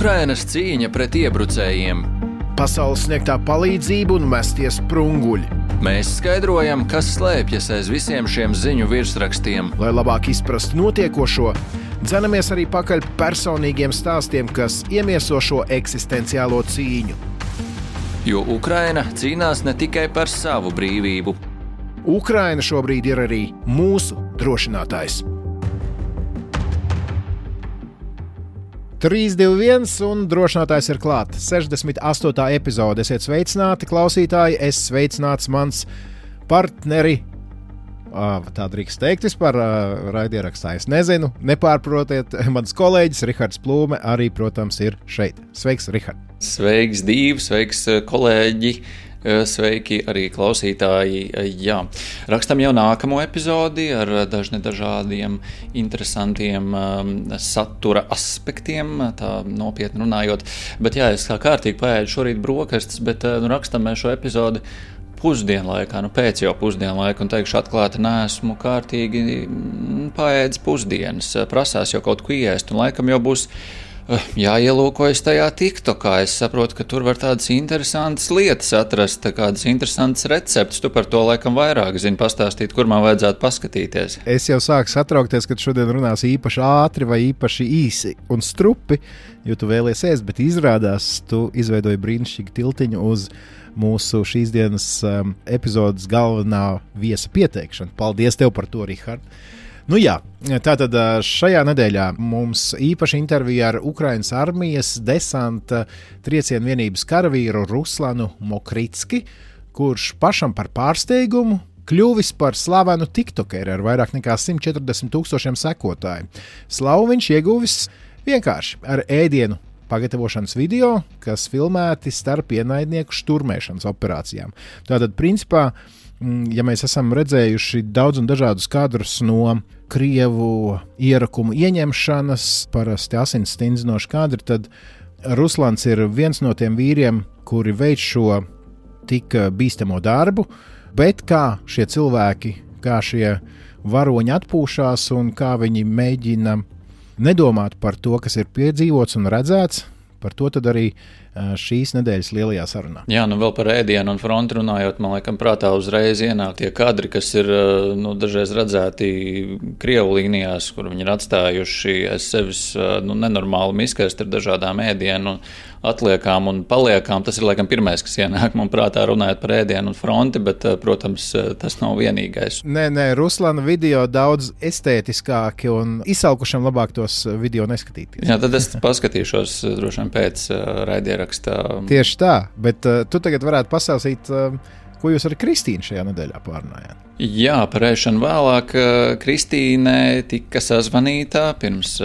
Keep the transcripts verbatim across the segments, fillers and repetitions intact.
Ukrainas cīņa pret iebrucējiem. Pasaules sniegtā palīdzība un mestie sprunguļi. Mēs skaidrojam, kas slēpjas aiz visiem šiem ziņu virsrakstiem. Lai labāk izprastu notiekošo, dzenamies arī pakaļ personīgiem stāstiem, kas iemieso šo eksistenciālo cīņu. Jo Ukraina cīnās ne tikai par savu brīvību. Ukraina šobrīd ir arī mūsu drošinātājs. trīs, divi, viens un drošinātājs ir klāt. sešdesmit astotā epizode. Esiet sveicināti, klausītāji. Es sveicināts mans partneri. Tā drīkst teikt vispār raidierakstā. Es nezinu, nepārprotiet. Mans kolēģis Rihards Plūme arī, protams, ir šeit. Sveiks, Rihard. Sveiks, Dīv, sveiks, kolēģi. Sveiki arī klausītāji. Jā, rakstam jau nākamo epizodi ar dažne dažādiem interesantiem um, satura aspektiem, tā nopietni runājot. Bet jā, es kā kārtīgi paēdu šorīt brokastis, bet nu, rakstam mēs šo epizodi pusdienlaikā, nu pēc jau pusdienlaika, un teikšu atklāti, neesmu kārtīgi paēdis pusdienas. Prasās jau kaut ko iest, un laikam jau būs jāielūkojas tajā TikTokā. Es saprotu, ka tur var tādas interesantas lietas atrast, kādas interesantas receptes. Tu par to laikam vairāk zini, pastāstīt, kur man vajadzētu paskatīties. Es jau sāku satraukties, ka šodien runās īpaši ātri vai īpaši īsi un strupi, jo tu vēlies ēst, bet izrādās, tu izveidoji brīnišķīgu tiltiņu uz mūsu šīs dienas um, epizodes galvenā viesa pieteikšanu. Paldies tev par to, Rihard. Nu jā, tātad šajā nedēļā mums īpaši intervija ar Ukrainas armijas desanta triecienu vienības karavīru Ruslanu Mokritski, kurš pašam par pārsteigumu kļuvis par slavenu tiktokeri ar vairāk nekā simt četrdesmit tūkstošiem sekotāju. Slavu viņš ieguvis vienkārši ar ēdienu pagatavošanas video, kas filmēti starp ienaidnieku šturmēšanas operācijām. Tātad, principā, ja mēs esam redzējuši daudz un dažādus kadrus no Krievu ierakumu ieņemšanas, parasti asins stindzinoši kadri, tad Ruslans ir viens no tiem vīriem, kuri veic šo tik bīstamo darbu, bet kā šie cilvēki, kā šie varoņi atpūšās un kā viņi mēģina nedomāt par to, kas ir piedzīvots un redzēts, par to tad arī šīs nedēļas lielajā sarunā. Jā, nu vēl par ēdienu un fronti runājot, man laikam prātā uzreiz ienāk tie kadri, kas ir nu, dažreiz redzēti Krievu līnijās, kur viņi ir atstājuši aiz sevis nu, nenormāli miskast ar dažādām ēdienu atliekām un paliekām. Tas ir laikam pirmais, kas ienāk man prātā runājot par ēdienu un fronti, bet, protams, tas nav vienīgais. Nē, nē, Ruslana video daudz estētiskāki un izsalkušiem labāk tos video neskatīties. Jā, tad es paskatīšos droši vien pēc raidierakstā. Tieši tā, bet uh, tu tagad varētu pastāstīt, uh, ko jūs ar Kristīnu šajā nedēļā pārunājāt. Jā, par ēšanu vēlāk Kristīne tika sazvanīta pirms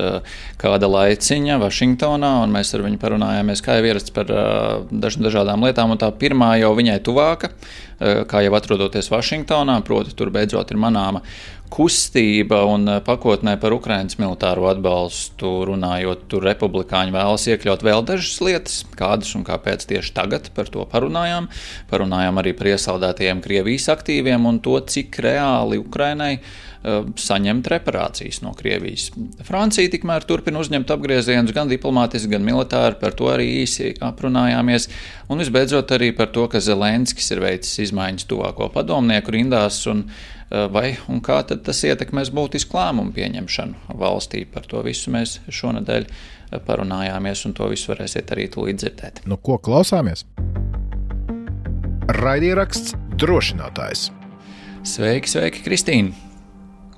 kāda laiciņa Vašingtonā, un mēs ar viņu parunājāmies, kā jau ierasts par daž, dažādām lietām, un tā pirmā jau viņai tuvāka, kā jau atrodoties Vašingtonā, proti tur beidzot ir manāma kustība un pakotnē par Ukrainas militāro atbalstu runājot, tur republikāņi vēlas iekļaut vēl dažas lietas, kādas un kāpēc tieši tagad par to parunājām. Parunājām arī par iesaldētajiem Krievijas aktīviem un to, cik reāli Ukrainai uh, saņemt reparācijas no Krievijas. Francija tikmēr turpina uzņemt apgriezienus gan diplomātiski, gan militāri, par to arī īsi aprunājāmies. Un visbeidzot arī par to, ka Zelenskis ir veicis izmaiņas tuvāko padomnieku rindās un vai un kā tad tas ietekmēs būtisku lēmumu pieņemšanu valstī. Par to visu mēs šonedēļ parunājāmies, un to visu varēsiet arī tūlīt dzirdēt. Nu, ko klausāmies? Raidieraksts drošinātājs. Sveiki, sveiki, Kristīna!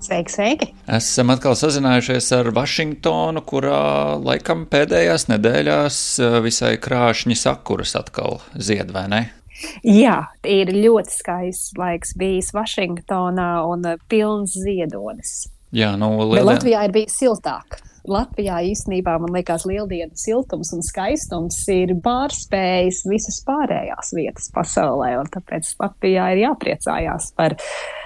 Sveiki, sveiki! Esam atkal sazinājušies ar Vašingtonu, kurā laikam pēdējās nedēļās visai krāšņi sakuras atkal zied, vai ne? Jā, ir ļoti skaists laiks bijis Vašingtonā un pilns ziedonis. Jā, nu, lielien... Bet Latvijā ir bijis siltāk. Latvijā īstenībā, man liekas, lieldienu siltums un skaistums ir pārspējis visas pārējās vietas pasaulē, un tāpēc Latvijā ir jāpriecājās par,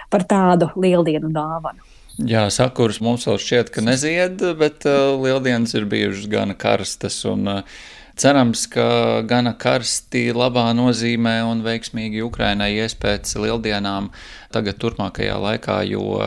par tādu lieldienu dāvanu. Jā, sakuras mums vēl šķiet, ka nezied, bet uh, lieldienas ir bijušas gana karstas un uh, Cerams, ka gana karsti, labā nozīmē un veiksmīgi Ukrainai ies pēc lieldienām tagad turpmākajā laikā, jo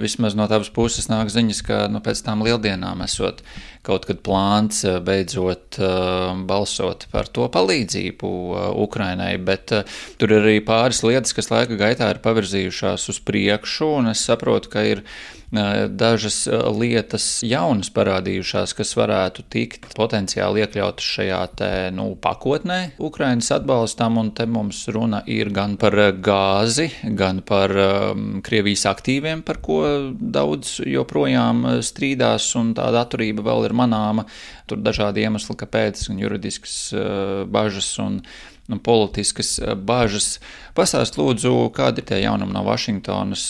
vismaz no tavas puses nāk ziņas, ka nu, pēc tām lieldienām esot kaut kad plāns beidzot uh, balsot par to palīdzību uh, Ukrainai, bet uh, tur ir arī pāris lietas, kas laika gaitā ir pavirzījušās uz priekšu, un es saprotu, ka ir dažas lietas jaunas parādījušās, kas varētu tikt potenciāli iekļautas šajā te, nu, pakotnē Ukrainas atbalstam, un te mums runa ir gan par gāzi, gan par um, Krievijas aktīviem, par ko daudz joprojām strīdās, un tāda atturība vēl ir manāma. Tur dažādi iemesli, kāpēc, un juridiskas uh, bažas un Nu, politiskas bažas. Pastāst lūdzu, kādi ir tie jaunumi no Vašingtonas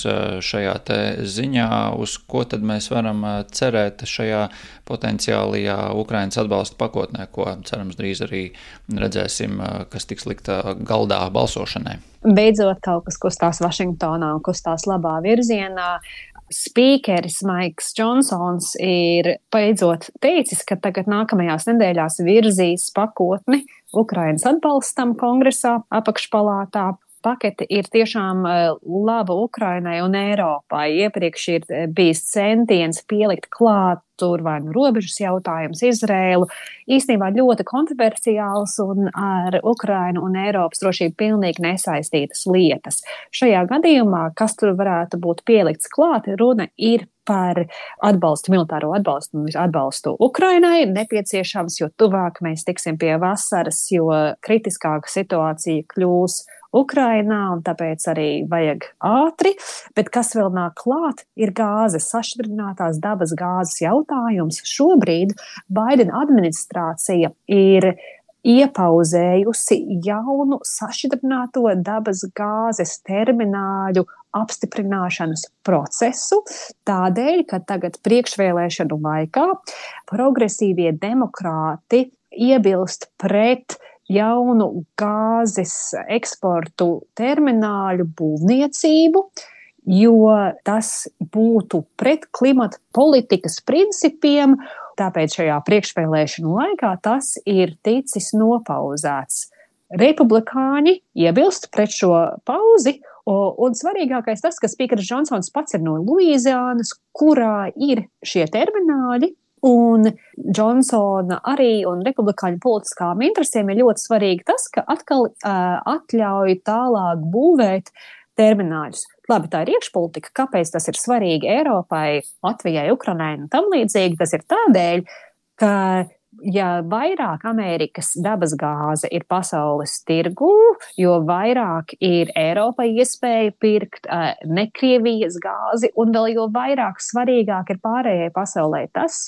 šajā te ziņā, uz ko tad mēs varam cerēt šajā potenciālajā Ukrainas atbalsta pakotnē, ko cerams drīz arī redzēsim, kas tiks likta galdā balsošanai. Beidzot kaut kas kustās Vašingtonā un kustās labā virzienā. Spīkeris Maiks Džonsons ir beidzot teicis, ka tagad nākamajās nedēļās virzīs pakotni Ukrainas atbalstam kongresā, apakšpalātā. Pakete ir tiešām laba Ukrainai un Eiropai. Iepriekš ir bijis centiens pielikt klāt tur vai nu robežas jautājums Izrēlu. Īstenībā ļoti kontroversiāls un ar Ukrainu un Eiropas drošību pilnīgi nesaistītas lietas. Šajā gadījumā, kas tur varētu būt pielikts klāt, runa ir par atbalstu, militāro atbalstu un atbalstu Ukrainai. Nepieciešams, jo tuvāk mēs tiksim pie vasaras, jo kritiskāka situācija kļūs Ukrainā, un tāpēc arī vajag ātri, bet kas vēl nāk klāt, ir gāzes, sašķidrinātās dabas gāzes jautājums. Šobrīd Baidena administrācija ir iepauzējusi jaunu sašķidrināto dabas gāzes termināļu apstiprināšanas procesu, tādēļ, ka tagad priekšvēlēšanu laikā progresīvie demokrāti iebilst pret jaunu gāzes eksportu termināļu būvniecību, jo tas būtu pret klimata politikas principiem, tāpēc šajā priekšvēlēšanu laikā tas ir ticis nopauzēts. Republikāņi iebilst pret šo pauzi, un svarīgākais tas, ka spīkeris Džonsons pats ir no Luīziānas, kurā ir šie termināļi, un Džonsona arī un republikāņu politiskām interesēm ir ļoti svarīgi tas, ka atkal uh, atļauj tālāk būvēt termināļus. Labi, tā ir iekšpolitika. Kāpēc tas ir svarīgi Eiropai, Latvijai, Ukrainai un tam līdzīgi? Tas ir tādēļ, ka ja vairāk Amerikas dabas gāze ir pasaules tirgū, jo vairāk ir Eiropai iespēja pirkt uh, ne Krievijas gāzi, un vēl jo vairāk svarīgāk ir pārējai pasaulē tas,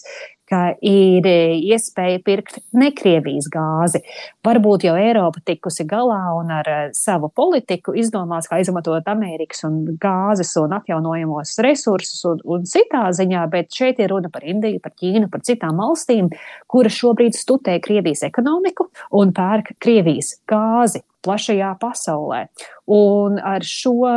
ka ir iespēja pirkt ne Krievijas gāzi. Varbūt jau Eiropa tikusi galā un ar savu politiku izdomās, kā izmantot Amerikas un gāzes un atjaunojamos resursus un, un citā ziņā, bet šeit ir runa par Indiju, par Ķīnu, par citām valstīm, kuras šobrīd studē Krievijas ekonomiku un pērk Krievijas gāzi plašajā pasaulē. Un ar šo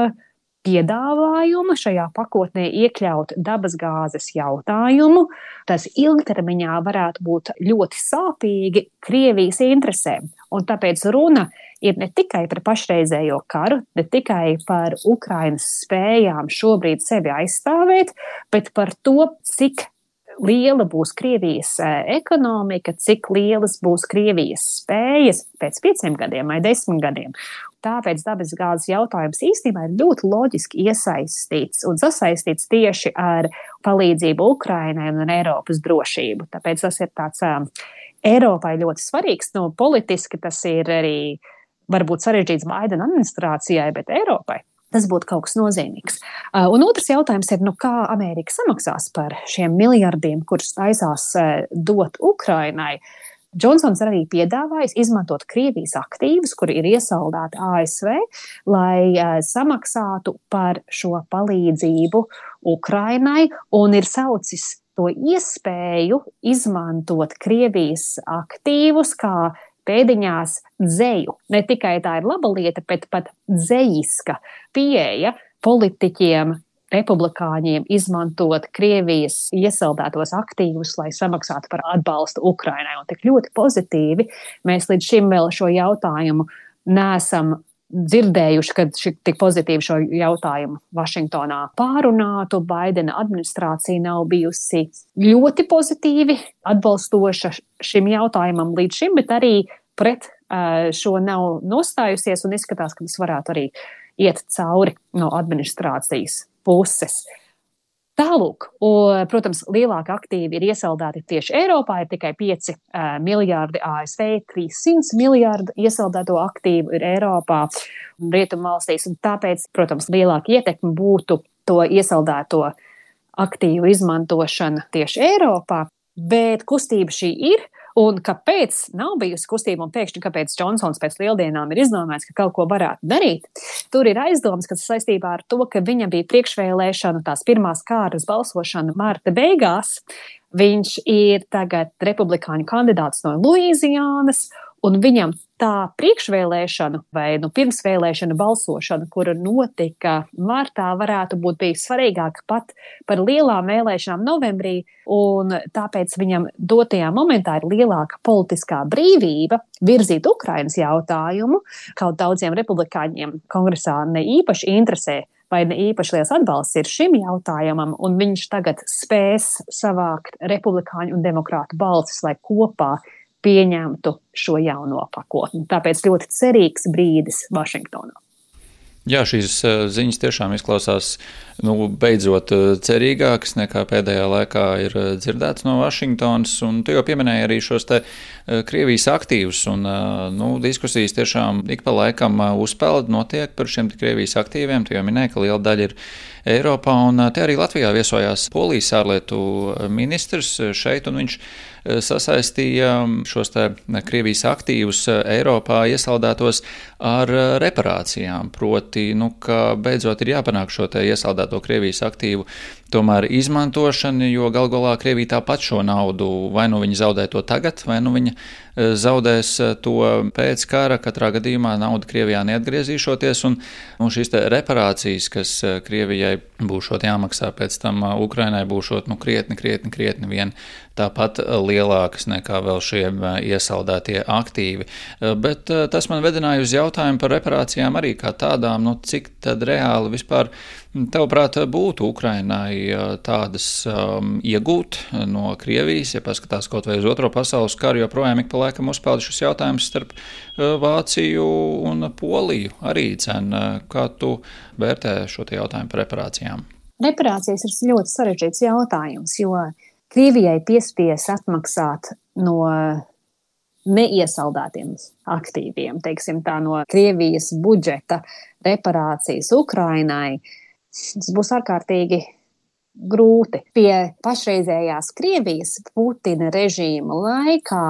piedāvājumu šajā pakotnē iekļaut dabasgāzes jautājumu, tas ilgtermiņā varētu būt ļoti sāpīgi Krievijas interesēm. Un tāpēc runa ir ne tikai par pašreizējo karu, ne tikai par Ukrainas spējām šobrīd sevi aizstāvēt, bet par to, cik liela būs Krievijas ekonomika, cik lielas būs Krievijas spējas pēc pieciem gadiem vai desmit gadiem. Tāpēc dabasgāzes jautājums īstenībā ir ļoti loģiski iesaistīts un sasaistīts tieši ar palīdzību Ukrainai un Eiropas drošību. Tāpēc tas ir tāds um, Eiropai ļoti svarīgs. Nu, politiski tas ir arī varbūt sarežģīts Baidena administrācijai, bet Eiropai tas būtu kaut kas nozīmīgs. Uh, un otrs jautājums ir, nu, kā Amerika samaksās par šiem miljardiem, kurus taisās uh, dot Ukrainai. Džonsons arī piedāvājis izmantot Krievijas aktīvus, kuri ir iesaldēti A S V, lai uh, samaksātu par šo palīdzību Ukrainai, un ir saucis to iespēju izmantot Krievijas aktīvus kā pēdiņās dzeju. Ne tikai tā ir laba lieta, bet pat dzejiska pieeja politiķiem republikāņiem izmantot Krievijas iesaldētos aktīvus, lai samaksātu par atbalstu Ukrainai. Un tik ļoti pozitīvi mēs līdz šim vēl šo jautājumu neesam dzirdējuši, kad šī tik pozitīvi šo jautājumu Vašingtonā pārunātu. Baidena administrācija nav bijusi ļoti pozitīvi atbalstoša šim jautājumam līdz šim, bet arī pret uh, šo nav nostājusies un izskatās, ka tas varētu arī iet cauri no administrācijas puses. Tālūk, un, protams, lielāki aktīvi ir iesaldēti tieši Eiropā, ir tikai pieci uh, miljārdi A S V, trīssimti miljārdi iesaldēto aktīvu ir Eiropā un Rietumvalstīs, un tāpēc, protams, lielāka ietekme būtu to iesaldēto aktīvu izmantošana tieši Eiropā, bet kustība šī ir. Un kāpēc nav bijusi kustība un pēkšņi, kāpēc Džonsons pēc lieldienām ir izdomājis, ka kaut ko varētu darīt? Tur ir aizdomas, kas saistībā ar to, ka viņam bija priekšvēlēšana, tās pirmās kārtas balsošana marta beigās. Viņš ir tagad republikāņu kandidāts no Luīziānas, un viņam tā priekšvēlēšana vai nu pirmsvēlēšana balsošana, kura notika martā, varētu būt bijis svarīgāka pat par lielām vēlēšanām novembrī, un tāpēc viņam dotajā momentā ir lielāka politiskā brīvība virzīt Ukrainas jautājumu, kaut daudziem republikāņiem kongresā ne īpaši interesē vai ne īpaši liels atbalsts ir šim jautājumam, un viņš tagad spēs savākt republikāņu un demokrātu balsis, lai kopā pieņemtu šo jauno pakotni. Tāpēc ļoti cerīgs brīdis Vašingtonā. Jā, šīs ziņas tiešām izklausās nu, beidzot cerīgākas nekā pēdējā laikā ir dzirdēts no Vašingtonas, un tu jau pieminēji arī šos te Krievijas aktīvus, un nu, diskusijas tiešām ik pa laikam uzpeld notiek par šiem Krievijas aktīviem, tu jau minēji, ka liela daļa ir Eiropā, un te arī Latvijā viesojās Polijas ārlietu ministrs šeit, un viņš sasaistīja šos te Krievijas aktīvus Eiropā iesaldētos ar reparācijām, proti, nu, ka beidzot ir jāpanāk šo te iesaldēto Krievijas aktīvu tomēr izmantošana, jo gal galā Krievija tāpat šo naudu, vai nu viņa zaudē to tagad, vai nu viņa zaudēs to pēc kara, katrā gadījumā nauda Krievijā neatgriezīšoties, un, un šīs te reparācijas, kas Krievijai būšot jāmaksā pēc tam Ukrainai, būšot nu, krietni, krietni, krietni vien tāpat lielākas nekā vēl šie iesaldētie aktīvi. Bet tas man vedināja uz jautājumu par reparācijām arī kā tādām, nu cik tad reāli vispār tavuprāt būtu Ukrainai tādas um, iegūt no Krievijas, ja paskatās kaut vai uz otro pasaules karu, jo projām ik pa laikam uzpeld šis jautājums starp Vāciju un Poliju arī cen. Kā tu vērtē šo te jautājumu par reparācijām? Reparācijas ir ļoti sarežģīts jautājums, jo Krievijai piespies atmaksāt no neiesaldētiem aktīviem, teiksim tā, no Krievijas budžeta reparācijas Ukrainai. Tas būs ārkārtīgi grūti. Pie pašreizējās Krievijas Putina režīma laikā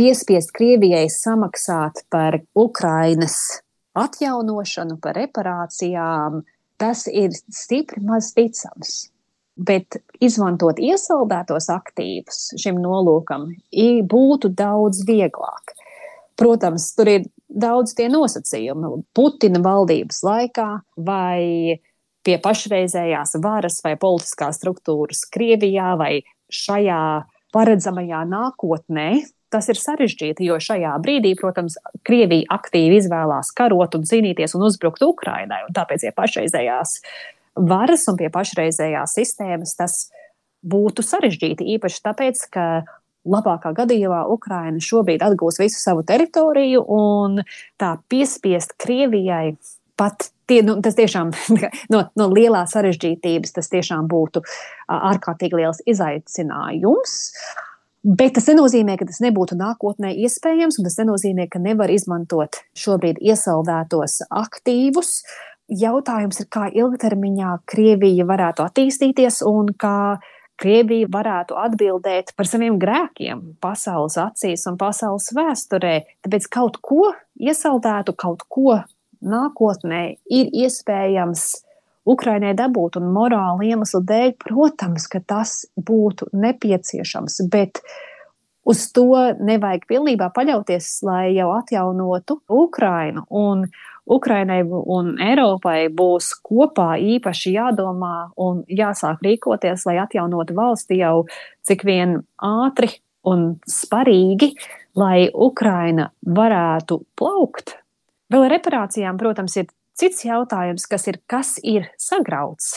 piespiest Krievijai samaksāt par Ukrainas atjaunošanu, par reparācijām, tas ir stipri maz ticams. Bet izmantot iesaldētos aktīvus šim nolūkam būtu daudz vieglāk. Protams, tur ir daudz tie nosacījumi. Putina valdības laikā vai pie pašreizējās varas vai politiskās struktūras Krievijā vai šajā paredzamajā nākotnē, tas ir sarežģīti, jo šajā brīdī, protams, Krievija aktīvi izvēlās karot un cīnīties un uzbrukt Ukrainai, un tāpēc pie pašreizējās varas un pie pašreizējās sistēmas tas būtu sarežģīti, īpaši tāpēc, ka labākā gadījumā Ukraina šobrīd atgūs visu savu teritoriju un tā piespiest Krievijai pat, tie, nu, tas tiešām no, no lielās sarežģītības tas tiešām būtu ārkārtīgi liels izaicinājums. Bet tas nenozīmē, ka tas nebūtu nākotnē iespējams, un tas nenozīmē, ka nevar izmantot šobrīd iesaldētos aktīvus. Jautājums ir, kā ilgtermiņā Krievija varētu attīstīties un kā Krievija varētu atbildēt par saviem grēkiem pasaules acīs un pasaules vēsturē. Tāpēc kaut ko iesaldētu, kaut ko nākotnē ir iespējams Ukrainai dabūt un morāli iemeslu dēļ, protams, ka tas būtu nepieciešams, bet uz to nevajag pilnībā paļauties, lai jau atjaunotu Ukrainu. Un Ukrainai un Eiropai būs kopā īpaši jādomā un jāsāk rīkoties, lai atjaunotu valsti jau cik vien ātri un sparīgi, lai Ukraina varētu plaukt. Vēl ar reparācijām, protams, ir cits jautājums, kas ir, kas ir sagrauts,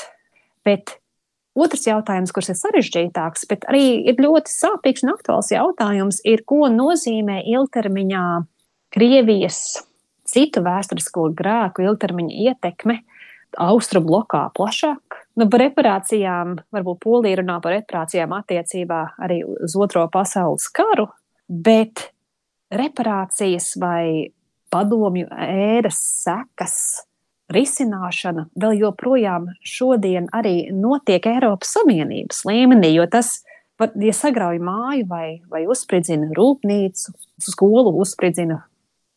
bet otrs jautājums, kurš ir sarežģītāks, bet arī ir ļoti sāpīgs un aktuāls jautājums, ir, ko nozīmē ilgtermiņā Krievijas citu vēsturisko grēku ilgtermiņa ietekme Austrumu blokā plašāk. Nu, par reparācijām, varbūt Polija runā par reparācijām attiecībā arī uz Otro pasaules karu, bet reparācijas vai padomju ēras sekas risināšana vēl joprojām šodien arī notiek Eiropas Savienības līmenī, jo tas, ja sagrauj māju vai, vai uzspridzina rūpnīcu, skolu uzspridzina,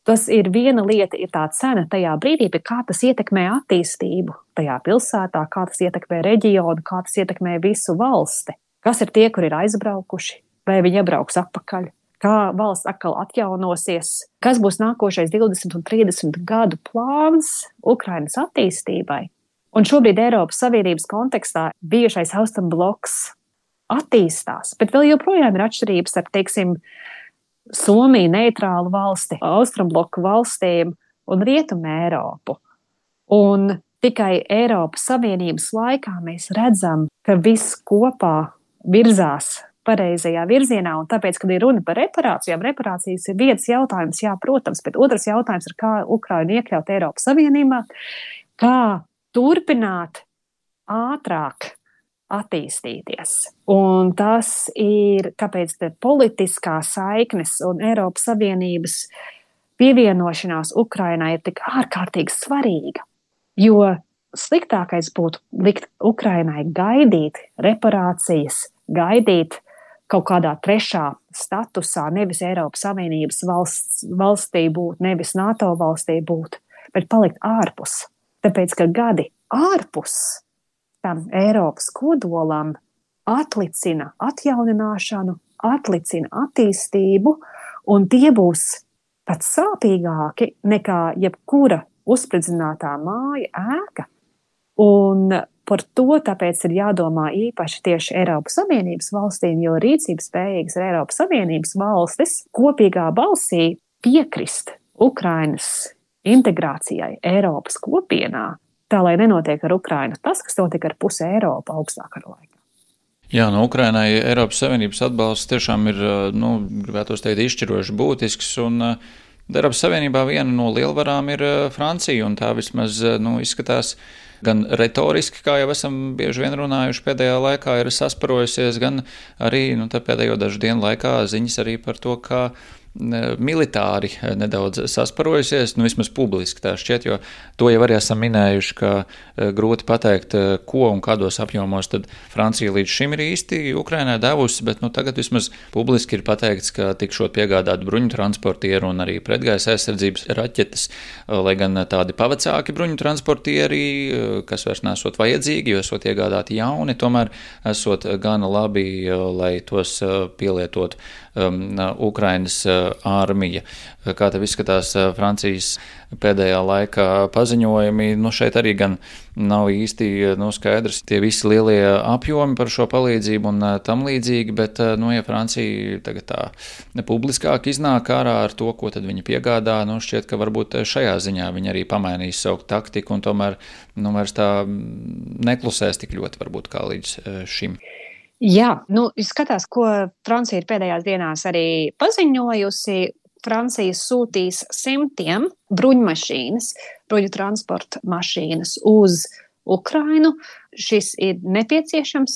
tas ir viena lieta, ir tā cena tajā brīdī, bet kā tas ietekmē attīstību tajā pilsētā, kā tas ietekmē reģionu, kā tas ietekmē visu valsti. Kas ir tie, kur ir aizbraukuši, vai viņi iebrauks atpakaļ? Kā valsts atkal atjaunosies, kas būs nākošais divdesmit un trīsdesmit gadu plāns Ukrainas attīstībai. Un šobrīd Eiropas Savienības kontekstā bijušais Austrumu bloks attīstās, bet vēl joprojām ir atšķirības ar, teiksim, Somiju neitrālu valsti, Austrumu bloku valstīm un Rietumu Eiropu. Un tikai Eiropas Savienības laikā mēs redzam, ka viss kopā virzās pareizajā virzienā, un tāpēc, kad ir runa par reparācijām, reparācijas ir viens jautājums, jā, protams, bet otrs jautājums ir, kā Ukrainu iekļaut Eiropas Savienībā, kā turpināt ātrāk attīstīties. Un tas ir, kāpēc te politiskā saiknes un Eiropas Savienības pievienošanās Ukrainai ir tik ārkārtīgi svarīga, jo sliktākais būtu likt Ukrainai gaidīt reparācijas, gaidīt kaut kādā trešā statusā, nevis Eiropas Savienības valsts, valstī būt, nevis NATO valstī būt, bet palikt ārpus. Tāpēc, ka gadi ārpus tam Eiropas kodolam atlicina atjaunināšanu, atlicina attīstību, un tie būs pat sāpīgāki nekā jebkura uzspridzinātā māja, ēka. Un par to tāpēc ir jādomā īpaši tieši Eiropas Savienības valstīm, jo rīcības spējīgas ir Eiropas Savienības valstis kopīgā balsī piekrist Ukrainas integrācijai Eiropas kopienā, tā lai nenotiek ar Ukrainu tas, kas notika ar pusi Eiropu augstākā laikā. Jā, no Ukrainai Eiropas Savienības atbalsts tiešām ir, nu, gribētos teikt, izšķiroši būtisks, un Eiropas Savienībā viena no lielvarām ir Francija, un tā vismaz, nu, izskatās gan retoriski, kā jau esam bieži vien runājuši pēdējā laikā, ir sasparojusies, gan arī, nu, tā pēdējo dažu dienu laikā ziņas arī par to, kā militāri nedaudz sasparojusies, nu vismaz publiski tā šķiet, jo to jau arī esam minējuši, ka grūti pateikt, ko un kādos apjomos tad Francija līdz šim ir īsti Ukrainai devusi, bet nu tagad vismaz publiski ir pateikts, ka tikšot piegādāt bruņu transportieru un arī pretgaisa aizsardzības raķetes, lai gan tādi pavecāki bruņu transportieri, kas vairs nesot vajadzīgi, jo esot iegādāti jauni, tomēr esot gana labi, lai tos pielietotu um, Ukrainas armija. Kā tev izskatās Francijas pēdējā laikā paziņojumi? Nu, šeit arī gan nav īsti nu, skaidrs tie visi lielie apjomi par šo palīdzību un tam līdzīgi, bet, nu, ja Francija tagad tā publiskāk iznāk ārā ar to, ko tad viņi piegādā, nu, šķiet, ka varbūt šajā ziņā viņi arī pamainīs savu taktiku un tomēr, nu, vairs tā neklusēs tik ļoti varbūt kā līdz šim. Jā, nu, skatās, ko Francija ir pēdējās dienās arī paziņojusi. Francija sūtīs simtiem bruņmašīnas, bruņu transporta mašīnas uz Ukrainu. Šis ir nepieciešams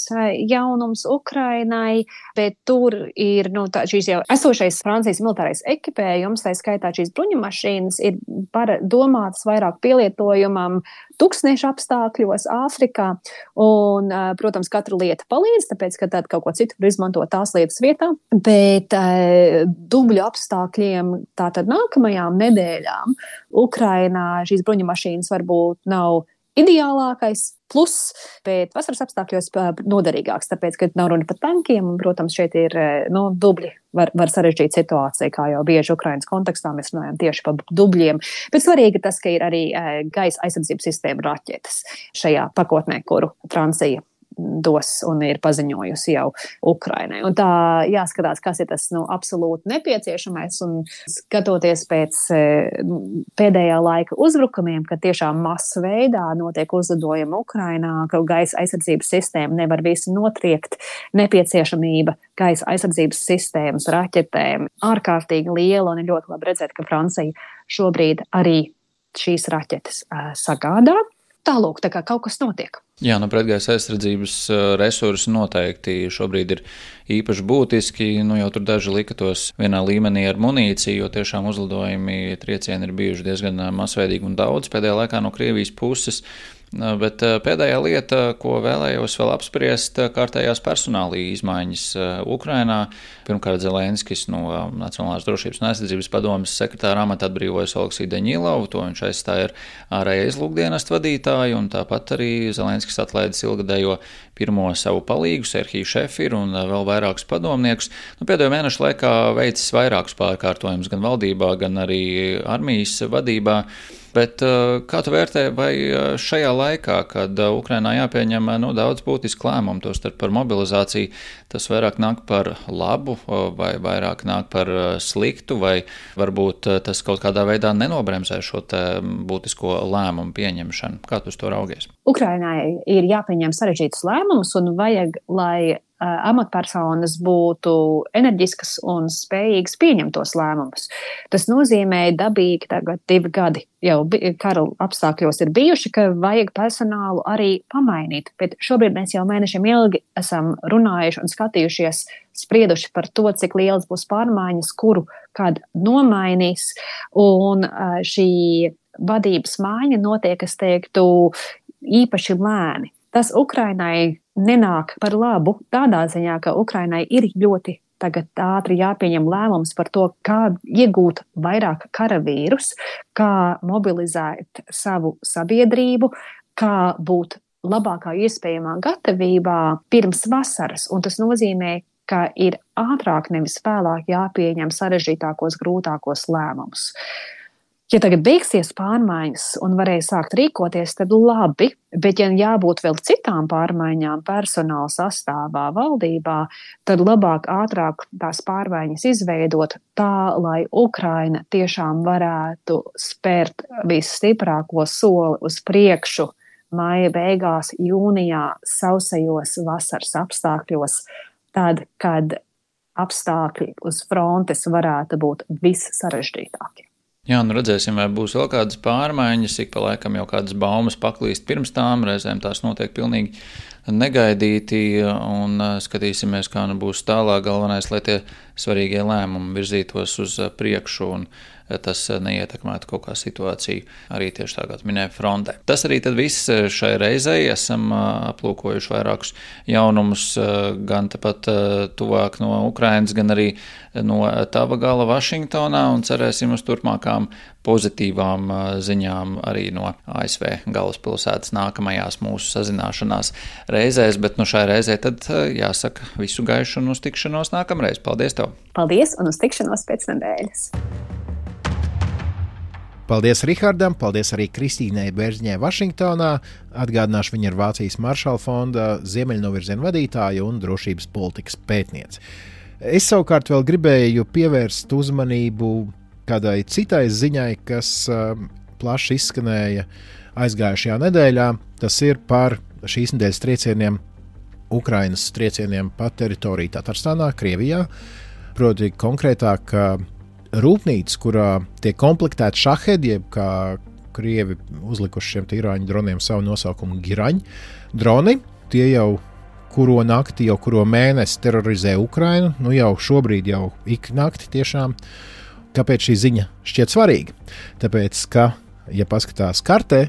jaunums Ukrainai, bet tur ir nu, tā, šīs jau esošais Francijas militārais ekipējums, tā skaitā šīs bruņumašīnas, ir par, domātas vairāk pielietojumam tuksnešu apstākļos Āfrikā. Un, protams, katra lieta palīdz, tāpēc, ka tad kaut ko citu var izmantot tās lietas vietā, bet dubļu apstākļiem tātad nākamajām nedēļām Ukrainā šīs bruņumašīnas varbūt nav ideālākais, plus, bet vasaras apstākļos noderīgāks, tāpēc, ka nav runa par tankiem, un, protams, šeit ir, nu, dubļi var, var sarežģīt situāciju, kā jau bieži Ukrainas kontekstā mēs runājam tieši par dubļiem, bet svarīgi tas, ka ir arī gaisa aizsardzības sistēma raķetes šajā pakotnē, kuru Francija dos un ir paziņojusi jau Ukrainai. Un tā jāskatās, kas ir tas, nu, absolūti nepieciešamais, un skatoties pēc pēdējā laika uzbrukumiem, kad tiešām masu veidā notiek uzlidojumi Ukrainā, ka gaisa aizsardzības sistēma nevar visu notriekt, nepieciešamība gaisa aizsardzības sistēmas raķetēm ārkārtīgi liela, un ir ļoti labi redzēt, ka Francija šobrīd arī šīs raķetes uh, sagādā. Tālūk, tā kā kaut kas notiek. Jā, nu pretgaisa aizsardzības resursi noteikti šobrīd ir īpaši būtiski. Nu, jau tur daži lika tos vienā līmenī ar munīciju, jo tiešām uzlidojumi triecieni ir bijuši diezgan masveidīgi un daudz pēdējā laikā no Krievijas puses. Bet pēdējā lieta, ko vēlējos vēl apspriest, kārtējās personāla izmaiņas Ukrainā. Pirmkārt, Zelenskis no Nacionālās drošības un aizsardzības padomes sekretāra amata atbrīvojas Oleksiju Deņilovu, to viņš aizstāja ar ārējā izlūkdienestu vadītāju, un tāpat arī Zelenskis atlaidis ilgadējo pirmo savu palīgu, Serhiju Šefiru, un vēl vairākus padomniekus. Nu, pēdējo mēnešu laikā veicis vairākus pārkārtojumus gan valdībā, gan arī armijas vadībā. Bet kā tu vērtē, vai šajā laikā, kad Ukrainā jāpieņem nu, daudz būtisku lēmumu, tostarp par mobilizāciju, tas vairāk nāk par labu vai vairāk nāk par sliktu, vai varbūt tas kaut kādā veidā nenobremzē šo te būtisko lēmumu pieņemšanu? Kā tu uz to raugies? Ukrainai ir jāpieņem sarežģītus lēmumus un vajag, lai amatpersonas būtu enerģiskas un spējīgas pieņemt tos lēmumus. Tas nozīmē dabīgi tagad divi gadi jau kara apstākļos ir bijuši, ka vajag personālu arī pamainīt. Bet šobrīd mēs jau mēnešiem ilgi esam runājuši un skatījušies, sprieduši par to, cik lielas būs pārmaiņas, kuru kad nomainīs. Un šī vadības maiņa notiek, es teiktu, īpaši lēni. Tas Ukrainai nenāk par labu tādā ziņā, ka Ukrainai ir ļoti tagad ātri jāpieņem lēmums par to, kā iegūt vairāk karavīrus, kā mobilizēt savu sabiedrību, kā būt labākā iespējamā gatavībā pirms vasaras. Un tas nozīmē, ka ir ātrāk nevis vēlāk jāpieņem sarežģītākos, grūtākos lēmumus. Ja tagad beigsies pārmaiņas un varēja sākt rīkoties, tad labi, bet ja jābūt vēl citām pārmaiņām personāla sastāvā valdībā, tad labāk ātrāk tās pārmaiņas izveidot tā, lai Ukraina tiešām varētu spērt visstiprāko soli uz priekšu maija beigās, jūnijā, sausajos vasaras apstākļos, tad, kad apstākļi uz frontes varētu būt vissarežģītākie. Jā, nu redzēsim, vai būs vēl kādas pārmaiņas, ik pa laikam jau kādas baumas paklīst pirms tām, reizēm tās notiek pilnīgi negaidīti, un skatīsimies, kā nu būs tālāk. Galvenais, lai tie svarīgie lēmumi virzītos uz priekšu, un tas neietekmētu kaut kā situāciju arī tieši tā, kā minēja frontē. Tas arī tad viss šai reizei. Esam aplūkojuši vairākus jaunumus gan tepat tuvāk no Ukrainas, gan arī no tava gala Vašingtonā, un cerēsim uz turpmākām pozitīvām ziņām arī no A S V galvaspilsētas nākamajās mūsu sazināšanās reizēs, bet nu šai reizei tad jāsaka visu gaišu un uz tikšanos nākamreiz. Paldies tev! Paldies un uz tikšanos pēc nedēļas! Paldies Rihardam, paldies arī Kristīnai Bērziņai Vašingtonā. Atgādināšu, viņa ir Vācijas Maršala fonda ziemeļnovirziena vadītāja un drošības politikas pētniece. Es savukārt vēl gribēju pievērst uzmanību kādai citai ziņai, kas uh, plaši izskanēja aizgājušajā nedēļā. Tas ir par šīs nedēļas triecieniem, Ukrainas triecieniem pa teritoriju Tatarstānā, Krievijā. Proti konkrētāk rūpnīca, kurā tiek komplektēti šahedi, jeb kā krievi uzlikuši šiem irāņu droniem savu nosaukumu Giraņ droni. Tie jau kuro nakti, jau kuro mēnesi terorizē Ukrainu, nu jau šobrīd jau ik nakti tiešām. Kāpēc šī ziņa šķiet svarīga? Tāpēc, ka, ja paskatās kartē,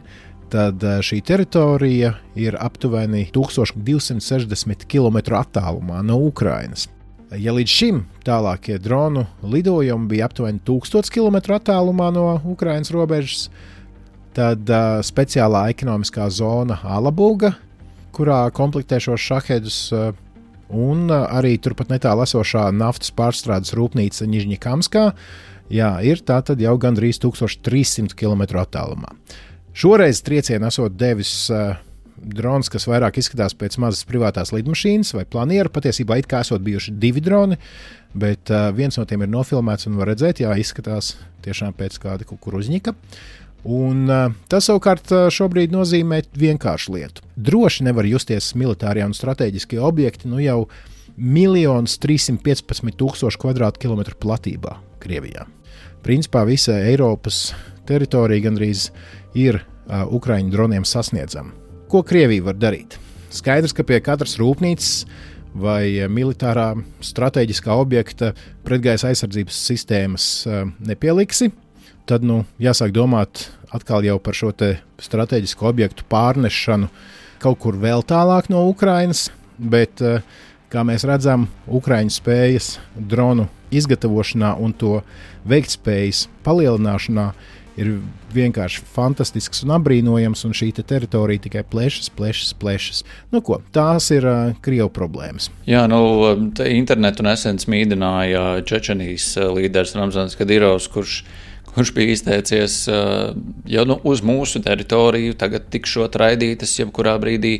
tad šī teritorija ir aptuveni tūkstoš divsimt sešdesmit kilometru attālumā no Ukrainas. Ja līdz šim tālākie dronu lidojumi bija aptuveni tūkstoš kilometru attālumā no Ukrainas robežas, tad uh, speciālā ekonomiskā zona Alabuga, kurā komplektē šos šahedus, uh, un uh, arī turpat netālu esošā naftas pārstrādes rūpnīca Nižņikamskā, jā, ir tātad jau gandrīz tūkstoš trīs simti kilometru attālumā. Šoreiz triecienu esot devis uh, drons, kas vairāk izskatās pēc mazas privātās lidmašīnas vai planieru. Patiesībā it kā esot bijuši divi droni, bet uh, viens no tiem ir nofilmēts un var redzēt, jā, izskatās tiešām pēc kāda kukuruzņika. Un uh, tas savukārt uh, šobrīd nozīmē vienkāršu lietu. Droši nevar justies militārie un strateģiskie objekti nu jau miljonus trīssimt piecpadsmit tūkstoši kvadrātkilometru platībā Krievijā. Principā visa Eiropas teritorija gandrīz ir uh, Ukraiņu droniem sasniedzama. Ko Krievija var darīt? Skaidrs, ka pie katras rūpnīcas vai militārā strateģiskā objekta pretgaisa aizsardzības sistēmas uh, nepieliksi. Tad nu, jāsāk domāt atkal jau par šo te strateģisko objektu pārnešanu kaut kur vēl tālāk no Ukrainas, bet, kā mēs redzam, Ukraiņu spējas dronu izgatavošanā un to veiktspējas palielināšanā ir vienkārši fantastisks un apbrīnojams, un šī te teritorija tikai plešas, plešas, plešas. Nu ko, tās ir uh, Krievu problēmas. Jā, nu, te internetu nesen smīdināja Čečenijas līderis Ramzans Kadyrovs, kurš kurš bija izteicies, ja nu uz mūsu teritoriju tagad tikšot raidītas jebkurā brīdī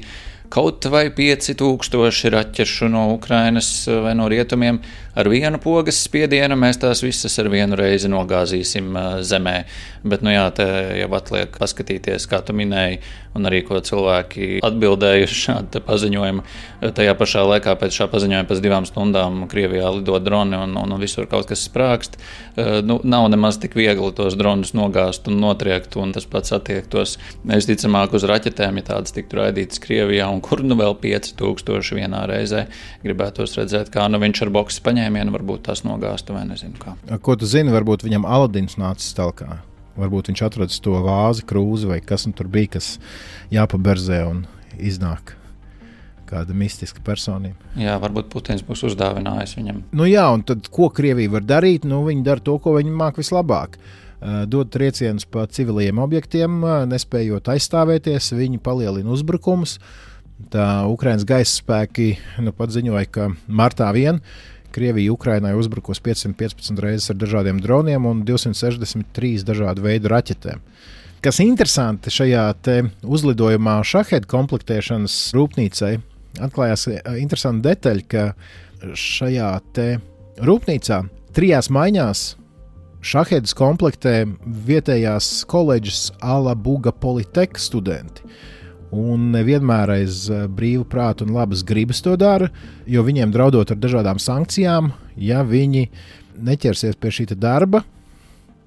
kaut vai pieci tūkstoši raķešu no Ukrainas vai no rietumiem, ar vienu pogas spiedienu mēs tās visas ar vienu reizi nogāzīsim zemē. Bet, nu jā, te jau atliek paskatīties, kā tu minēji, un arī ko cilvēki atbildēja uz šādu paziņojumu. Tajā pašā laikā pēc šā paziņojuma pēc divām stundām Krievijā lido droni un, un visur kaut kas sprākst. Nu, nav nemaz tik viegli tos dronus nogāzt un notriekt, un tas pats attiektos neizticamāk uz raķetēm, ja tādas tiktu raidītas Krievijā, un kur nu vēl pieci tūkstoši vienā reizē. Gribētos redzēt, kā nu viņš ar boksi paņēmienu varbūt tās nogāstu vai nezinu kā. Ko tu zini, varbūt viņam Aladins nācis talkā? Varbūt viņš atradas to vāzi, krūzi vai kas nu tur bija, kas jāpaberzē un iznāk kāda mistiska personība. Jā, varbūt Putins būs uzdāvinājis viņam. Nu jā, un tad ko Krievija var darīt? Nu, viņi dara to, ko viņi māk vislabāk. Dod triecienus pa civiliem objektiem, nespējot aizstāvēties, viņi palielina uzbrukumus. Tā Ukrainas gaisa spēki nu pat ziņoja, ka martā vien Krievija Ukrainai uzbrukos piecsimt piecpadsmit reizes ar dažādiem droniem un divsimt sešdesmit trīs dažādu veidu raķetēm. Kas interesanti šajā te uzlidojumā šahedu komplektēšanas rūpnīcai, atklājās interesanti detaļa, ka šajā te rūpnīcā trijās maiņās šahedus komplektē vietējās koledžas Alabuga Politeka studenti. Un nevienmēr aiz brīvu prātu un labas gribas to dara, jo viņiem draudot ar dažādām sankcijām, ja viņi neķersies pie šī darba,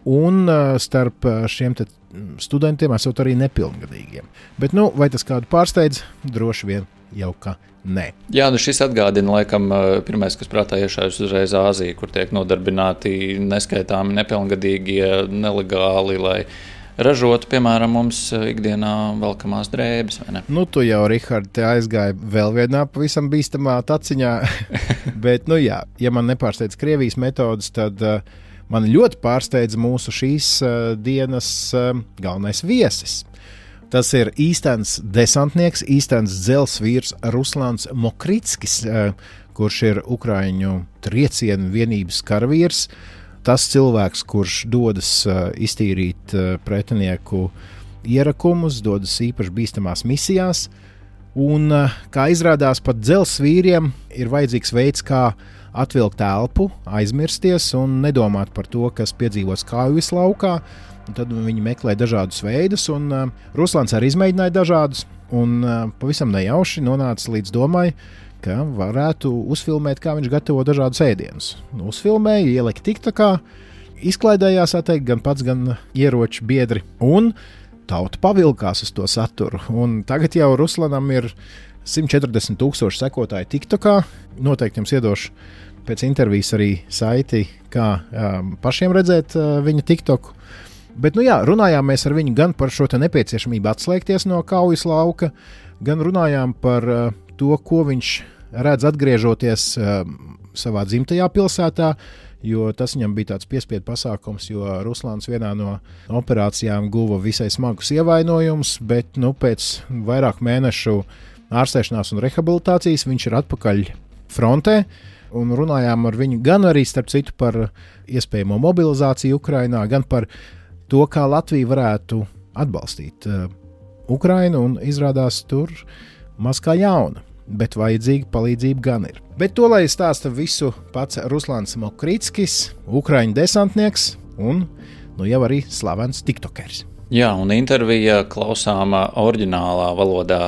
un starp šiem te studentiem esot arī nepilngadīgiem. Bet, nu, vai tas kādu pārsteidz? Droši vien jau ka nē. Jā, nu šis atgādina laikam pirmais, kas prātā iešājas uzreiz Āzija, kur tiek nodarbināti neskaitāmi nepilngadīgie nelegāli, lai ražotu, piemēram, mums ikdienā velkamās drēbes, vai ne? Nu, tu jau, Rihard, te aizgāji vēl vienā pavisam bīstamā taciņā, bet, nu jā, ja man nepārsteidz Krievijas metodas, tad uh, man ļoti pārsteidz mūsu šīs uh, dienas uh, galvenais viesis. Tas ir īstenis desantnieks, īstenis dzelzvīrs Ruslans Mokritskis, uh, kurš ir Ukraiņu triecienu vienības karavīrs. Tas cilvēks, kurš dodas uh, iztīrīt uh, pretinieku ierakumus, dodas īpaši bīstamās misijās, un, uh, kā izrādās, pat dzelzsvīriem ir vajadzīgs veids, kā atvilkt elpu, aizmirsties un nedomāt par to, kas piedzīvos kaujas laukā, un tad viņi meklē dažādus veidus, un uh, Ruslans arī izmēģināja dažādus, un uh, pavisam nejauši nonāca līdz domai, ka varētu uzfilmēt, kā viņš gatavo dažādus ēdienus. Nu, uzfilmēja, ielika tiktokā, izklaidējās, atteikt, gan pats, gan ieroči biedri, un tauta pavilkās uz to saturu. Un tagad jau Ruslanam ir simt četrdesmit tūkstoši sekotāji tiktokā. Noteikti jums iedošu pēc intervijas arī saiti, kā um, pašiem redzēt uh, viņa tiktoku. Bet, nu jā, runājām mēs ar viņu gan par šo te nepieciešamību atslēgties no kaujas lauka, gan runājām par uh, to, ko viņš redz atgriežoties savā dzimtajā pilsētā, jo tas viņam bija tāds piespiedu pasākums, jo Ruslāns vienā no operācijām guva visai smagus ievainojumus, bet nu, pēc vairāk mēnešu ārstēšanās un rehabilitācijas viņš ir atpakaļ frontē, un runājām ar viņu gan arī, starp citu, par iespējamo mobilizāciju Ukrainā, gan par to, kā Latvija varētu atbalstīt uh, Ukrainu, un izrādās tur maz kā jauna, bet vajadzīga palīdzība gan ir. Bet to, lai stāsta visu pats Ruslāns Mokrīckis, Ukraiņu desantnieks un nu jau arī slavens tiktokers. Jā, un intervija klausāmā oriģinālā valodā,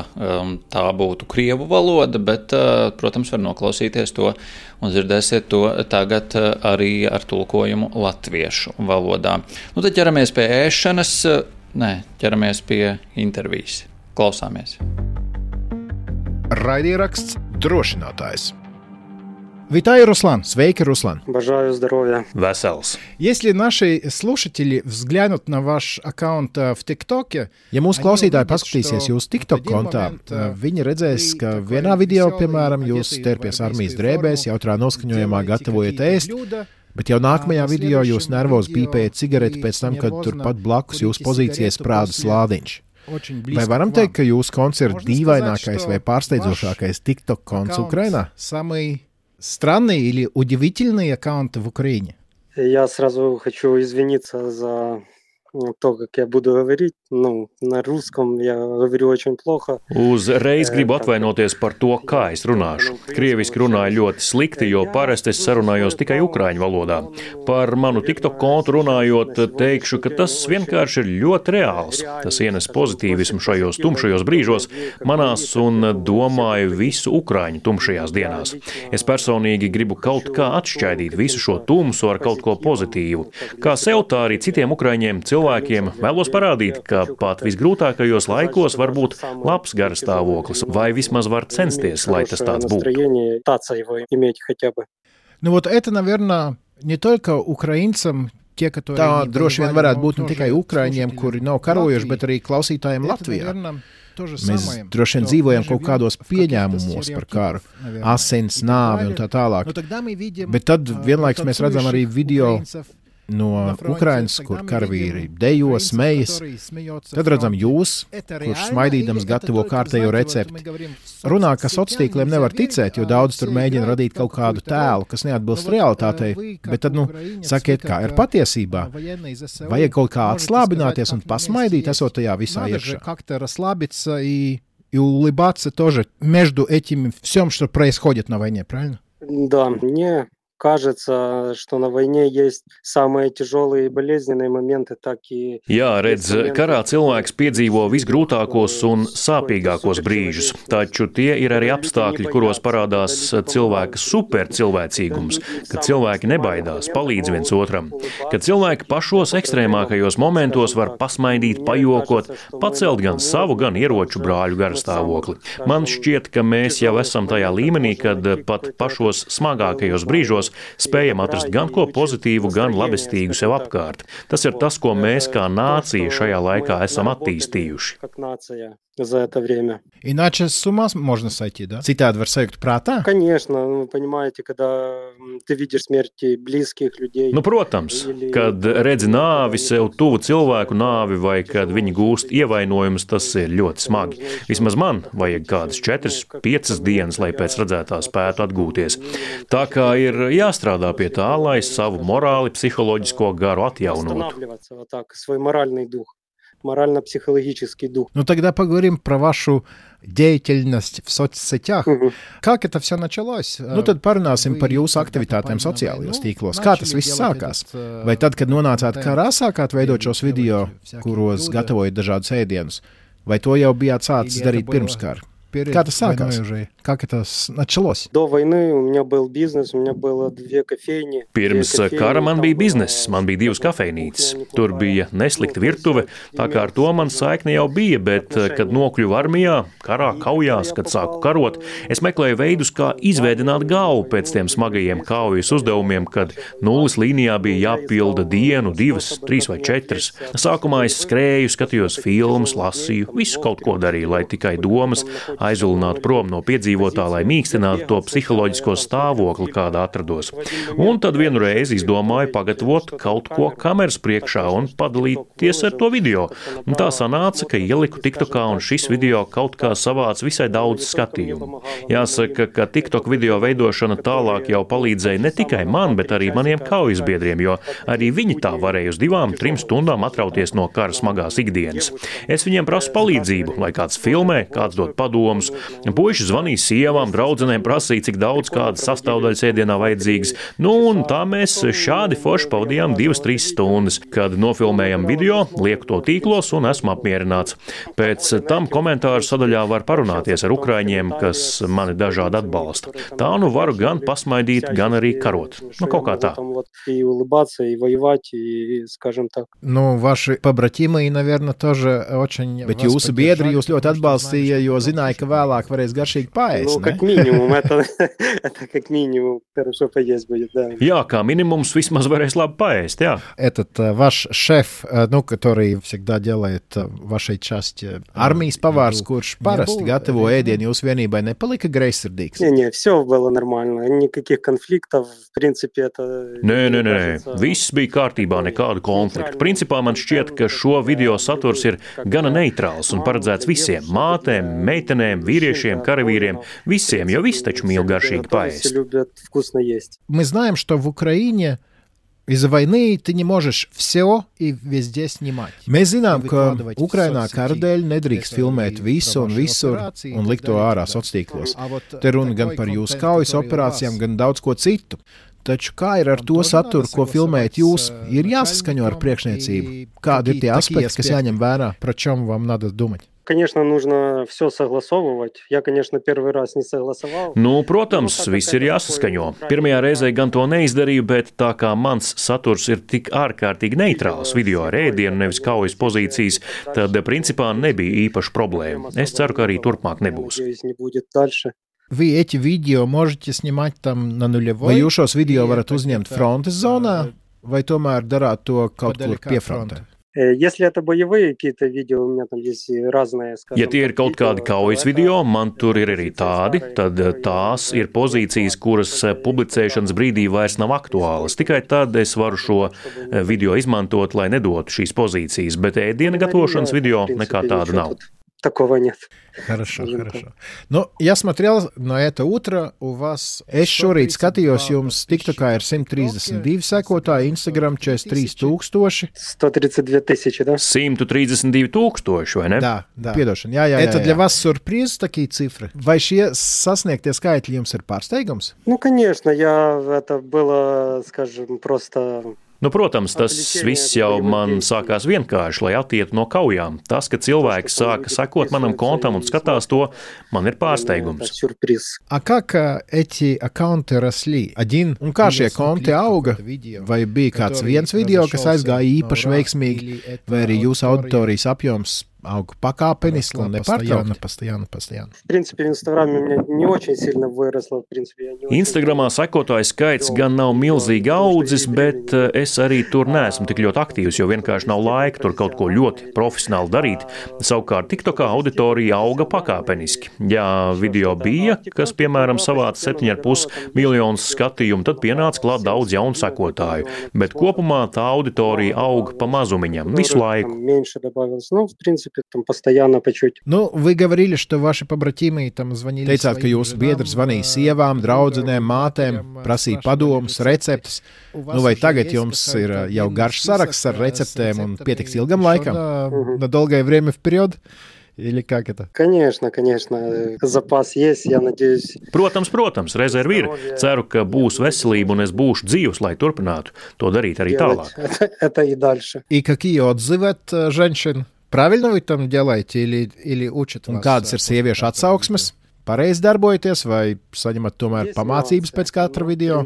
tā būtu krievu valoda, bet, protams, var noklausīties to un dzirdēsiet to tagad arī ar tulkojumu latviešu valodā. Nu, tad ķeramies pie ēšanas, nē, ķeramies pie intervijas. Klausāmies. Raidieraksts Drošinātājs. Витаю, Руслан. Свейки, Руслан. Бажаю здоровья. Vesels. Если наши слушатели взглянут на ваш аккаунт в ТикТоке, ja mūsu klausītāji paskatīsies jūsu TikTok kontā, viņi redzēs, ka vienā video, piemēram, jūs sterpies armijas drēbēs, jautrā noskaņojumā gatavojat ēst, bet jau nākamajā video jūs nervozi pīpējat cigareti pēc tam, kad turpat blakus jūsu pozīcijas sprāda slādiņš. Vai varam teikt, ka jūsu konts ir dīvainākais vai pārsteidzošākais TikTok konts Ukrainā? Самый странный или удивительный аккаунт в Украине? Я сразу хочу извиниться за to, как я буду говорить. Nu, на русском я говорю очень плохо. Uzreiz gribu atvainoties par to, kā es runāšu. Krieviski runāju ļoti slikti, jo parasti es sarunājos tikai ukraiņu valodā. Par manu TikTok kontu runājot, teikšu, ka tas vienkārši ir ļoti reāls. Tas ienes pozitīvismu šajos tumšajos brīžos manās un domāju visu ukraiņu tumšajās dienās. Es personīgi gribu kaut kā atšķaidīt visu šo tumsu ar kaut ko pozitīvu. Kā sev, tā arī citiem ukraiņiem cilvēkiem vēlos parādīt, ka pat visgrūtākajos laikos var būt labs garastāvoklis, vai vismaz var censties, lai tas tāds būtu. Nu, вот это, наверное, не только украинцам, tie, которые tā droši vien varētu būt ne tikai ukraiņiem, kuri nav karojuši, bet arī klausītājiem Latvijā. Mēs droši vien dzīvojam kaut kādos pieņēmumos par karu, asins, nāvi un tā tālāk. Bet tad vienlaiks mēs redzam arī video no Ukrainas, kur karavīri dejo, smejas. Tad redzam jūs, kurš smaidīdams gatavo kārtējo recepti. Runā, ka sociāliem tīkliem nevar ticēt, jo daudz tur mēģina radīt kaut kādu tēlu, kas neatbilst realitātei. Bet tad, nu, sakiet, kā ir patiesībā. Vajag kaut kā atslābināties un pasmaidīt, esot tajā visā iekšā. И улыбаться тоже между этим всем, что происходит на войне, правильно? Да, мне кажется, что на войне есть самые тяжелые и болезненные моменты, так и... Jā, redz, karā cilvēks piedzīvo visgrūtākos un sāpīgākos brīžus, taču tie ir arī apstākļi, kuros parādās cilvēka supercilvēcīgums, kad cilvēki nebaidās, palīdz viens otram, kad cilvēki pašos ekstrēmākajos momentos var pasmaidīt, pajokot, pacelt gan savu, gan ieroču brāļu garastāvokli. Man šķiet, ka mēs jau esam tajā līmenī, kad pat pašos smagākajos brīžos spējam atrast gan ko pozitīvu, gan labestīgu sev apkārt. Tas ir tas, ko mēs kā nācija šajā laikā esam attīstījuši. За это время. Иначе с ума можно сойти, да? Citādi var sajūt prātā? Конечно, вы понимаете, когда ты видишь смерти близких людей. Nu, protams, kad redzi nāvi, sev tuvu cilvēku nāvi vai kad viņi gūst ievainojumus, tas ir ļoti smagi. Vismaz man vajag kādas četras, piecas dienas, lai pēc redzētā spētu atgūties. Tā kā ir jāstrādā pie tā, lai savu morāli, psiholoģisko garu atjaunotu. Морально-психологический дух. Ну, тогда поговорим про вашу деятельность в соцсетях. Uh-huh. Как это все началось? Nu, tad parunāsim par jūsu aktivitātēm sociālajos tīklos. Kā tas viss sākās? Vai tad, kad nonācāt karā, sākāt veidot šos video, kuros gatavojat dažādus ēdienus? Vai to jau bijāt sācis darīt pirms kara? Kā tas sākās? Как это началось? До войны у меня был бизнес, у меня было две кофейни. Pirms kara man bija bizness, man bija divas kafejnīcas. Tur bija neslikta virtuve, tā kā ar to man saikne jau bija, bet, kad nokļuvu armijā, karā, kaujās, kad sāku karot, es meklēju veidus, kā izveidināt galvu pēc tiem smagajiem kaujas uzdevumiem, kad nulles līnijā bija jāpilda dienu, divas, trīs vai četras. Sākumā es skrēju, skatījos filmas, lasīju, visu kaut ko darīju, lai tikai domas aizvilināt prom no piedzīvotā, lai mīkstinātu to psiholoģisko stāvokli, kādā atrados. Un tad vienu reizi izdomāju pagatavot kaut ko kameras priekšā un padalīties ar to video. Un tā sanāca, ka ieliku TikTokā un šis video kaut kā savāc visai daudz skatījumu. Jāsaka, ka TikTok video veidošana tālāk jau palīdzēja ne tikai man, bet arī maniem kaujas-biedriem, jo arī viņi tā varēja uz divām, trim stundām atrauties no kara smagās ikdienas. Es viņiem prasu palīdzību, lai kāds filmē, kāds dod padomus. Puiši zvanīja sievām, draudzenēm, prasīja, cik daudz kādas sastāvdaļas ēdienā vajadzīgas. Nu, un tā mēs šādi forši pavadījām divas, trīs stundas, kad nofilmējam video, lieku to tīklos un esmu apmierināts. Pēc tam komentāru sadaļā var parunāties ar ukraiņiem, kas mani dažādi atbalsta. Tā nu varu gan pasmaidīt, gan arī karot. Nu, kaut kā tā. Nu, vaši побратимы, наверное, тоже очень... Bet jūsu biedri jūs ļoti atbalstīja, jo zināja, ka vēlāk varēs garšīgi paēst, nu, ne? Как минимум, это, это как минимум хорошо поесть будет, да. Jā, kā minimums vismaz varēs labi paēst, jā. Этот ваш шеф, ну, который всегда делает вашей части, армijas pavārs, kurš parasti gatavo ēdienu jūsu vienībai, nepalika greizsirdīgs? Не, не, все было нормально, никаких конфликтов, в принципе, это... Nē, nē, nē, viss bija kārtībā, nekādu konfliktu. Principā man šķiet, ka šo video saturs ir gana neitrāls un paredzēts visiem – mātēm, meitenēm, vīriešiem, karavīriem, visiem, jo visi taču mīl garšīgi paēst. Мы знаем, что в Украине из-за войны ты не можешь все и везде снимать. Mēs zinām, ka Ukrainā kara dēļ nedrīkst filmēt visu un visur un likt to ārā sociālos. Te runa gan par jūsu kaujas operācijām, gan daudz ko citu. Taču kā ir ar to saturu, ko filmējat jūs, ir jāsaskaņo ar priekšniecību? Kādi ir tie aspekti, kas jāņem vērā? Про чем вам надо думать? Конечно, нужно все согласовывать. Я, конечно, первый раз не согласовал. Nu, protams, viss ir jāsaskaņo. Pirmajā reizē gan to neizdarīju, bet tā kā mans saturs ir tik ārkārtīgi neitrāls video ar ēdienu, nevis kaujas pozīcijas, tad principā nebija īpaša problēma. Es ceru, ka arī turpmāk nebūs. Вы эти видео можете снимать там на нулевой? Vai jūs šos video varat uzņemt frontes zonā, vai tomēr darāt to kaut kur pie fronte? Если это боевые какие-то видео, у меня там есть разные, скажем, ja tie ir kaut kādi kaujas video, man tur ir arī tādi, tad tās ir pozīcijas, kuras publicēšanas brīdī vairs nav aktuālas. Tikai tad es varu šo video izmantot, lai nedotu šīs pozīcijas, bet ēdiena gatavošanas video nekā tāda nav. Такого нет. Хорошо, хорошо. Ну, я смотрел на это утро, у вас... Es šorīt skatījos, jums TikTokā ir simt trīsdesmit divi sekotāji, Instagram četrdesmit trīs tūkstoši. сто тридцать две тысячи, да? simt trīsdesmit divi tūkstoši, vai ne? Да, да. Piedošana, jā, jā, jā. Это для вас сюрприз, такие цифры? Vai šie sasniegtie skaitļi jums ir pārsteigums? Ну, конечно, я... Это было, скажем, просто... Nu, protams, tas viss jau man sākās vienkārši, lai attietu no kaujām. Tas, ka cilvēki sāka sekot manam kontam un skatās to, man ir pārsteigums. А как эти аккаунты росли? Один, un kā šie konti auga? Vai bija kāds viens video, kas aizgāja īpaši veiksmīgi, vai arī jūsu auditorijas apjoms auga pakāpeniski un nepārtraukti? Постоянно, постоянно. В принципе, в Инстаграме у меня не очень сильно выросло. В принципе, я не очень... Instagramā sekotāju skaits gan nav milzīgi audzis, bet es arī tur neesmu tik ļoti aktīvs, jo vienkārši nav laika tur kaut ko ļoti profesionāli darīt. Savukārt TikTokā auditorija auga pakāpeniski. Ja video bija, kas, piemēram, savāca septiņi ar pus miljonus skatījumu, tad pienāca klāt daudz jaunu sekotāju. Bet kopumā tā auditorija auga pa mazumiņam visu laiku. Там постоянно по чуть. Ну, вы говорили, что ваши побратимы там звонили. Teicāt, ka jūsu biedri zvanīja sievām, draudzenēm, mātēm, prasīja padomus, receptes. Nu, vai tagad jums ir jau garš saraksts ar receptēm un pietiks ilgam laikam? На долгое время вперед? Или как это? Конечно, конечно. Запас есть, я надеюсь. Protams, protams, rezervi ir. Ceru, ka būs veselība un es būšu dzīvs, lai turpinātu to darīt arī tālāk. Это, это и дальше. И какие отзывы от женщин? Правильно вы там делаете или, или учат вас? Un kādas ir sieviešu atsauksmes? Pareizi darbojaties vai saņemat tomēr pamācības pēc katra video?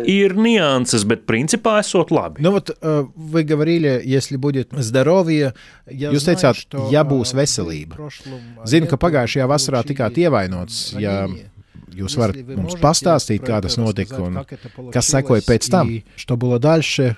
Ir nianses, bet principā esot labi. Nu, вот, вы говорили, если будет здоровье, jūs teicāt, ja būs veselība. Zinu, ka pagājušajā vasarā tikāt ievainots, ja jūs varat mums pastāstīt, kā tas notika un kas sekoja pēc tam? Что было дальше?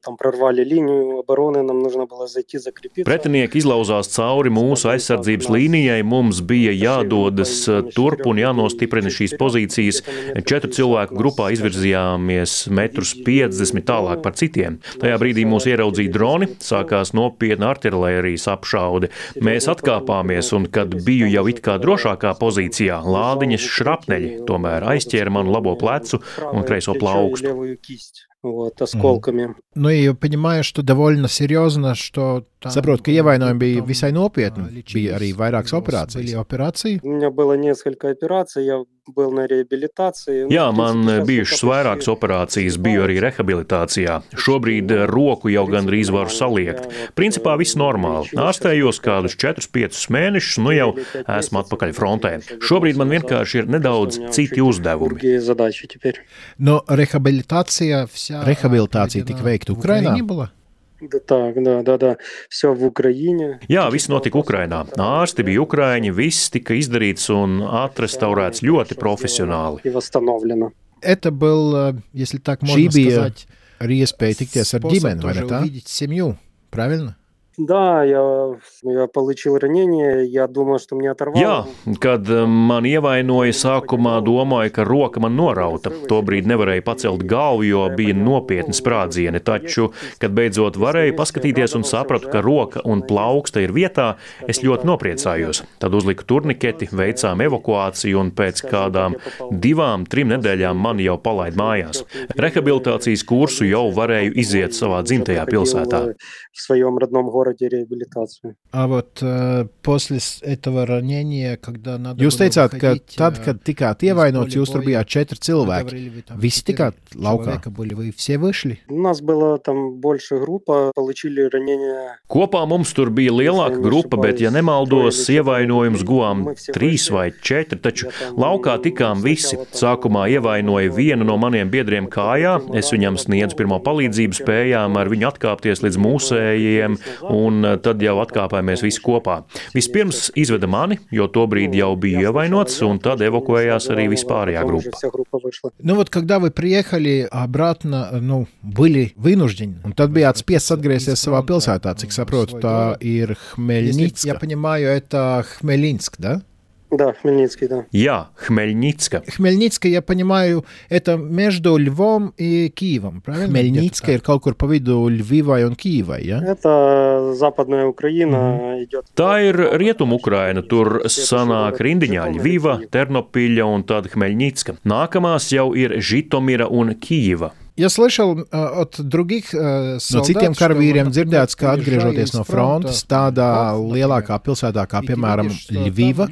там прорвали линию обороны, нам нужно было зайти закрепиться. Pretinieki izlauzās cauri mūsu aizsardzības līnijai, mums bija jādodas turp un jānostiprina šīs pozīcijas. Četru cilvēku grupā izvirzījāmies metrus piecdesmit tālāk par citiem. Tajā brīdī mūs ieraudzīja droni, sākās nopietna artilērijas apšaude. Mēs atkāpāmies, un kad biju jau it kā drošākā pozīcijā, lādiņas šrapneļi tomēr aizķēra manu labo plecu un kreiso plaukstu. Вот, осколками. Ну и понимаю, что довольно серьезно, что saprotu, ka ievainojumi bija visai nopietni. Bija arī vairākas operācijas. Operācija? У меня было несколько операций, я был на реабилитации. Jā, man bijušas vairākas operācijas, biju arī rehabilitācijā. Šobrīd roku jau gandrīz varu saliekt. Principā viss normāli. Ārstējos kādus četrus piecus mēnešus, nu jau esmu atpakaļ frontē. Šobrīd man vienkārši ir nedaudz citi uzdevumi. No rehabilitācija, rehabilitācija tika veikta Ukrainā? Да, так, да, да, да. Все в Украине. Jā, viss notika Ukrainā. Ārsti bija ukraiņi, viss tika izdarīts un atrestaurēts ļoti profesionāli. И восстановлено. Это был, если так можно сказать, arī iespēja tikties ar ģimeni, vai ne tā? Увидеть семью, правильно? Да, я, я получил ранение, я думал, что мне оторвало. Jā, kad man ievainoja, sākumā domāju, ka roka man norauta. Tobrīd nevarēju pacelt galvu, jo bija nopietni sprādzieni, taču, kad beidzot varēju paskatīties un sapratu, ka roka un plauksta ir vietā, es ļoti nopriecājos. Tad uzliku turniketi, veicām evakuāciju un pēc kādām divām, trim nedēļām mani jau palaid mājās. Rehabilitācijas kursu jau varēju iziet savā dzimtajā pilsētā. В своем родном городе реабилитацию. А вот э, после этого ранения, когда надо Jūs teicāt, ka tad, kad tikāt ievainots, jūs tur bijāt četri cilvēki. Visi tikāt laukā? Вы все вышли? У нас была там большая группа, получили ранения. Kopā mums tur bija lielāka grupa, bet, ja nemaldos, ievainojums guvām trīs vai četri, taču laukā tikām visi. Sākumā ievainoja vienu no maniem biedriem kājā, es viņam sniedzu pirmo palīdzību, spējām ar viņu atkāpties līdz mūsu un tad jau atkāpāmies visi kopā. Vispirms izveda mani, jo tobrīd jau biju ievainots, un tad evakuējās arī vispārējā grupa. Nu, вот, когда вы приехали обратно, ну, были вынуждены, un tad bijāt spiests atgriezties savā pilsētā, cik saprotu, tā ir Хмельницка. Я понимаю, это Хмельнинск, да? Да, Хмельницкий, да. Jā, Хмельницка. Хмельницка, я понимаю, это между Львом и Киевом, правильно? Хмельницка ir kaut kur pa vidu Ļvivai un Kīvai, ja? Это западная Украина mm-hmm. идет. Tā ir Rietum Ukraina, tur sanāk rindiņā Ļviva, Ternopilja un tad Хмельницка. Nākamās jau ir Žitomira un Kīva. Я слышал uh, от других uh, soldat, no citiem karavīriem dzirdēts, ka atgriežoties no frontes tādā lielākā pilsētā, kā piemēram Ļviva,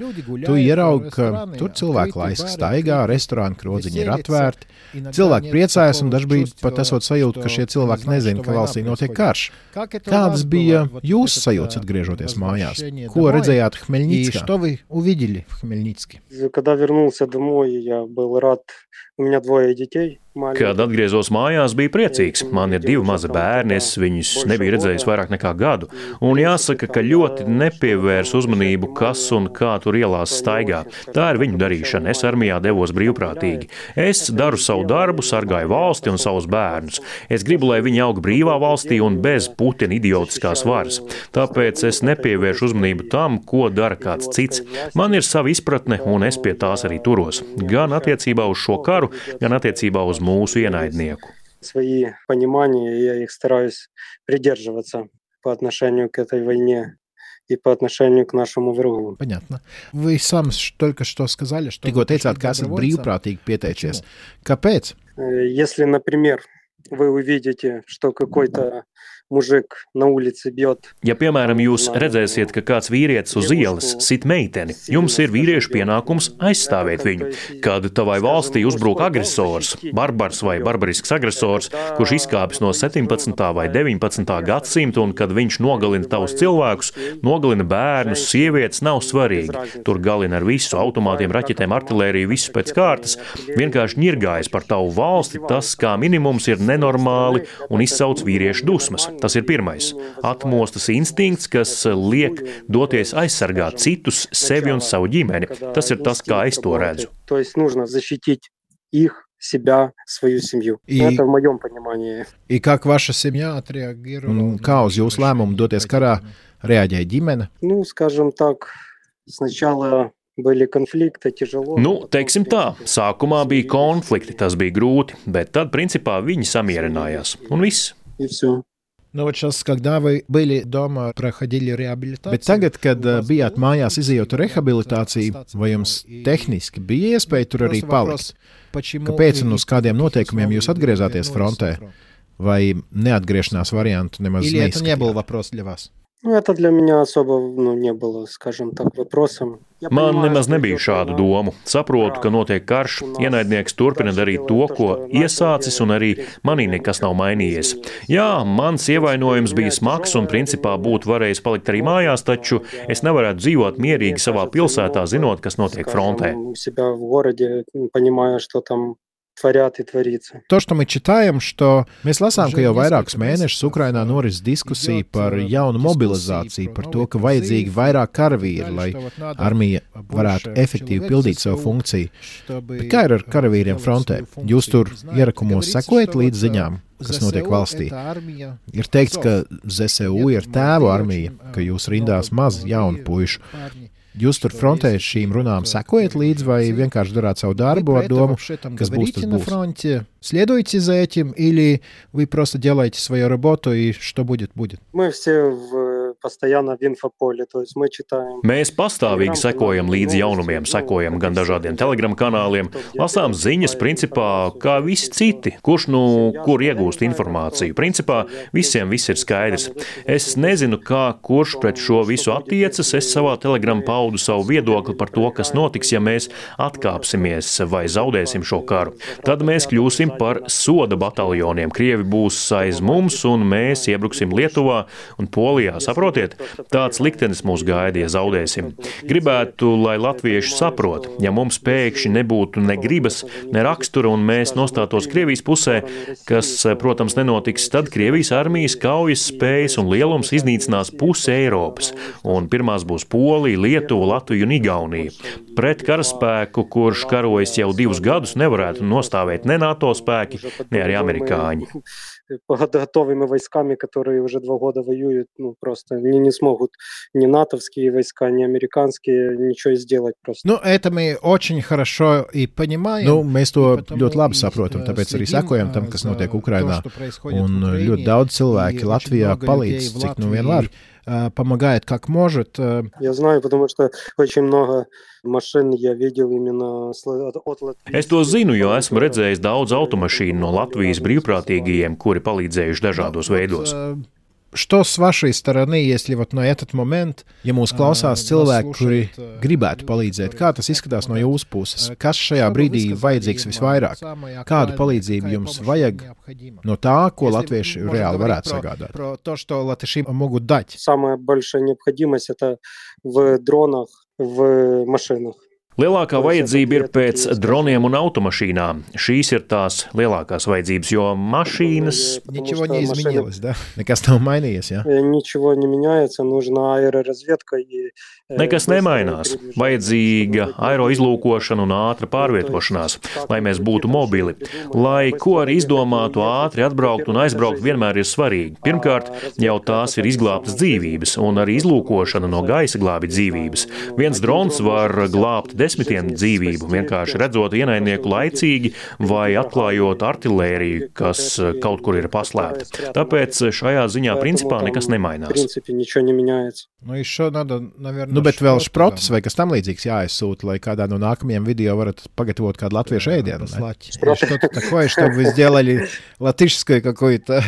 tu ieraugi, ka tur cilvēki laiski staigā, restorāni krodziņi ir atvērti, cilvēki priecājas un dažbrīd pat esot sajūta, ka šie cilvēki nezina, ka valstī notiek karš. Kādas bija jūsu sajūtas atgriežoties mājās? Ko redzējāt Хмельницкā? Что вы увидели в Хмельницке? Когда вернулся домой, я был рад. У меня двое детей. Kad atgriezos mājās, biju priecīgs. Man ir divi mazi bērni, es viņus nebiju redzējis vairāk nekā gadu. Un jāsaka, ka ļoti nepievērs uzmanību, kas un kā tur ielās staigā. Tā ir viņu darīšana. Es armijā devos brīvprātīgi. Es daru savu darbu, sargāju valsti un savus bērnus. Es gribu, lai viņi aug brīvā valstī un bez Putina idiotiskās varas. Tāpēc es nepievēršu uzmanību tam, ko dara kāds cits. Man ir sava izpratne, un es pie tās arī turos. Gan attiecībā uz šo karu, gan attiecībā uz mūsu ienaidnieku. Свои понимания, я их стараюсь придерживаться по отношению к этой войне и по отношению к нашему врагу. Понятно. Вы сам только что сказали, что... Tikko teicāt, ka esat brīvprātīgi pieteicies. Kāpēc? Если, например, вы увидите, что какой-то mужик на улице бьет. Ja, piemēram, jūs redzēsiet, ka kāds vīrietis uz ielas sit meiteni, jums ir vīriešu pienākums aizstāvēt viņu. Kad tavai valstī uzbrūk agresors, barbars vai barbarisks agresors, kurš izkāpis no septiņpadsmitā vai deviņpadsmitā gadsimta, un kad viņš nogalina tavus cilvēkus, nogalina bērnus, sievietes, nav svarīgi. Tur galina ar visu, automātiem, raķetēm, artilēriju, visu pēc kārtas. Vienkārši ņirgājas par tavu valsti, tas kā minimums ir nenormāli un izsauc vīriešu dusmas. Tas ir pirmais. Atmostas instinkts, kas liek doties aizsargāt citus, sevi un savu ģimeni. Tas ir tas, kā es to redzu. То есть нужно защитить их, себя, свою семью. И... Это в моем понимании. И как ваша семья отреагировала? Kā uz jūsu lēmumu doties karā reaģēja ģimene? Ну, скажем так, сначала были конфликты, тяжело. Nu, teiksim tā, sākumā bija konflikti, tas bija grūti, bet tad, principā, viņi samierinājās. Un viss. И все. Nu, вот сейчас, когда вы были дома, проходили реабилитацию. Bet tagad, kad bijāt mājās izejot rehabilitāciju, vai jums tehniski bija iespēja tur arī palikt? Kāpēc un uz kādiem noteikumiem jūs atgriezāties frontē? Vai neatgriešanās variantu nemaz neizskatījāt? Или это не был вопрос для вас? Nu, это для меня особо ну, не было, скажем так, вопросом. Man nemaz nebija šādu domu. Saprotu, ka notiek karš, ienaidnieks turpina darīt to, ko iesācis, un arī manī nekas nav mainījies. Jā, mans ievainojums bija smags, un principā būtu varējis palikt arī mājās, taču es nevarētu dzīvot mierīgi savā pilsētā, zinot, kas notiek frontē. Творят и творится. То, что мы читаем, что mēs lasām, ka jau vairākus mēnešus Ukrainā noris diskusija par jaunu mobilizāciju, par to, ka vajadzīgi vairāk karavīri, lai armija varētu efektīvi pildīt savu funkciju. Bet kā ir ar karavīriem frontē? Jūs tur ierakumos sekojat līdz ziņām, kas notiek valstī? Ir teikts, ka Z S U ir tēvu armija, ka jūs rindās maz jaunu puišu. Jūs tur frontē šīm runām sekojat līdzi vai vienkārši darāt savu darbu ar domu, kas būs, tas būs? Фронте, следуйте за этим или вы просто делаете свою работу и что будет, будет? Мы все в, постоянно в инфополе, то есть мы читаем. Mēs pastāvīgi sekojam līdzi jaunumiem, sekojam gan dažādiem telegram kanāliem, lasām ziņas, principā, kā visi citi, kurš nu kur iegūst informāciju. Principā visiem viss ir skaidrs. Es nezinu, kā kurš pret šo visu attiecas, es savā telegram paudu savu viedokli par to, kas notiks, ja mēs atkāpsimies vai zaudēsim šo karu. Tad mēs kļūsim par soda bataljoniem. Krievi būs aiz mums un mēs iebruksim Lietuvā un Polijā. Saprotiet, tāds liktenis mūs gaida, ja zaudēsim. Gribētu, lai latvieši saprot, ja mums pēkšņi nebūtu ne gribas, ne rakstura un mēs nostātos Krievijas pusē, kas, protams, nenotiks, tad Krievijas armijas kaujas spējas un lielums iznīcinās pusi Eiropas. Un pirmās būs Polija, Lietuva, Latvija un Igaunija. Pret karaspēku, kurš karojas jau divus gadus, nevarētu nostāvēt ne NATO spēki, ne arī amerikāņi. Готовыми войсками, которые уже два года воюют, ну, просто они не смогут ни натовские войска, ни американские ничего сделать просто. Nu, это мы очень хорошо и понимаем. Nu, mēs to ļoti labi saprotam, tāpēc arī sekojam tam, kas notiek Ukrainā. Un ļoti daudz cilvēki Latvijā palīdz, cik nu vien var. Помогает как может. Я знаю, потому что очень много машин я видел именно от Латвии. Es to zinu, jo esmu redzējis daudz automašīnu no Latvijas brīvprātīgajiem, kuri palīdzējuši dažādos veidos. Что с вашей стороны, если вот на этот момент, ja mūs klausās cilvēki, kuri gribētu palīdzēt, kā tas izskatās no jūsu puses? Kas šajā brīdī vajadzīgs visvairāk? Kādu palīdzību jums vajag no tā, ko latvieši reāli varētu sagādāt? То, что латыши могут дать. Самая большая необходимость это в дронах, в машинах. Lielākā vajadzība ir pēc droniem un automašīnām. Šīs ir tās lielākās vajadzības, jo mašīnas... Ничего не изменилось, да? Nekas nav mainījies, jā? Ничего не меняется, нужна аэроразведка и... Nekas nemainās. Vajadzīga aeroizlūkošana un ātra pārvietošanās, lai mēs būtu mobili. Lai ko arī izdomātu, ātri atbraukt un aizbraukt vienmēr ir svarīgi. Pirmkārt, jau tās ir izglābtas dzīvības, un arī izlūkošana no gaisa glābi dzīvības. Viens drons var glābt desmitiem dzīvību, vienkārši redzot ienaidnieku laicīgi vai atklājot artilēriju, kas kaut kur ir paslēpta. Tāpēc šajā ziņā principā nekas nemainās. Nu, еще надо, наверное, nu, bet vēl šprotas vai kas tam līdzīgs jāizsūta, lai kādā no nākamajiem video varat pagatavot kādu latviešu ēdienu. Что-то такое, чтобы вы сделали латышское какое-то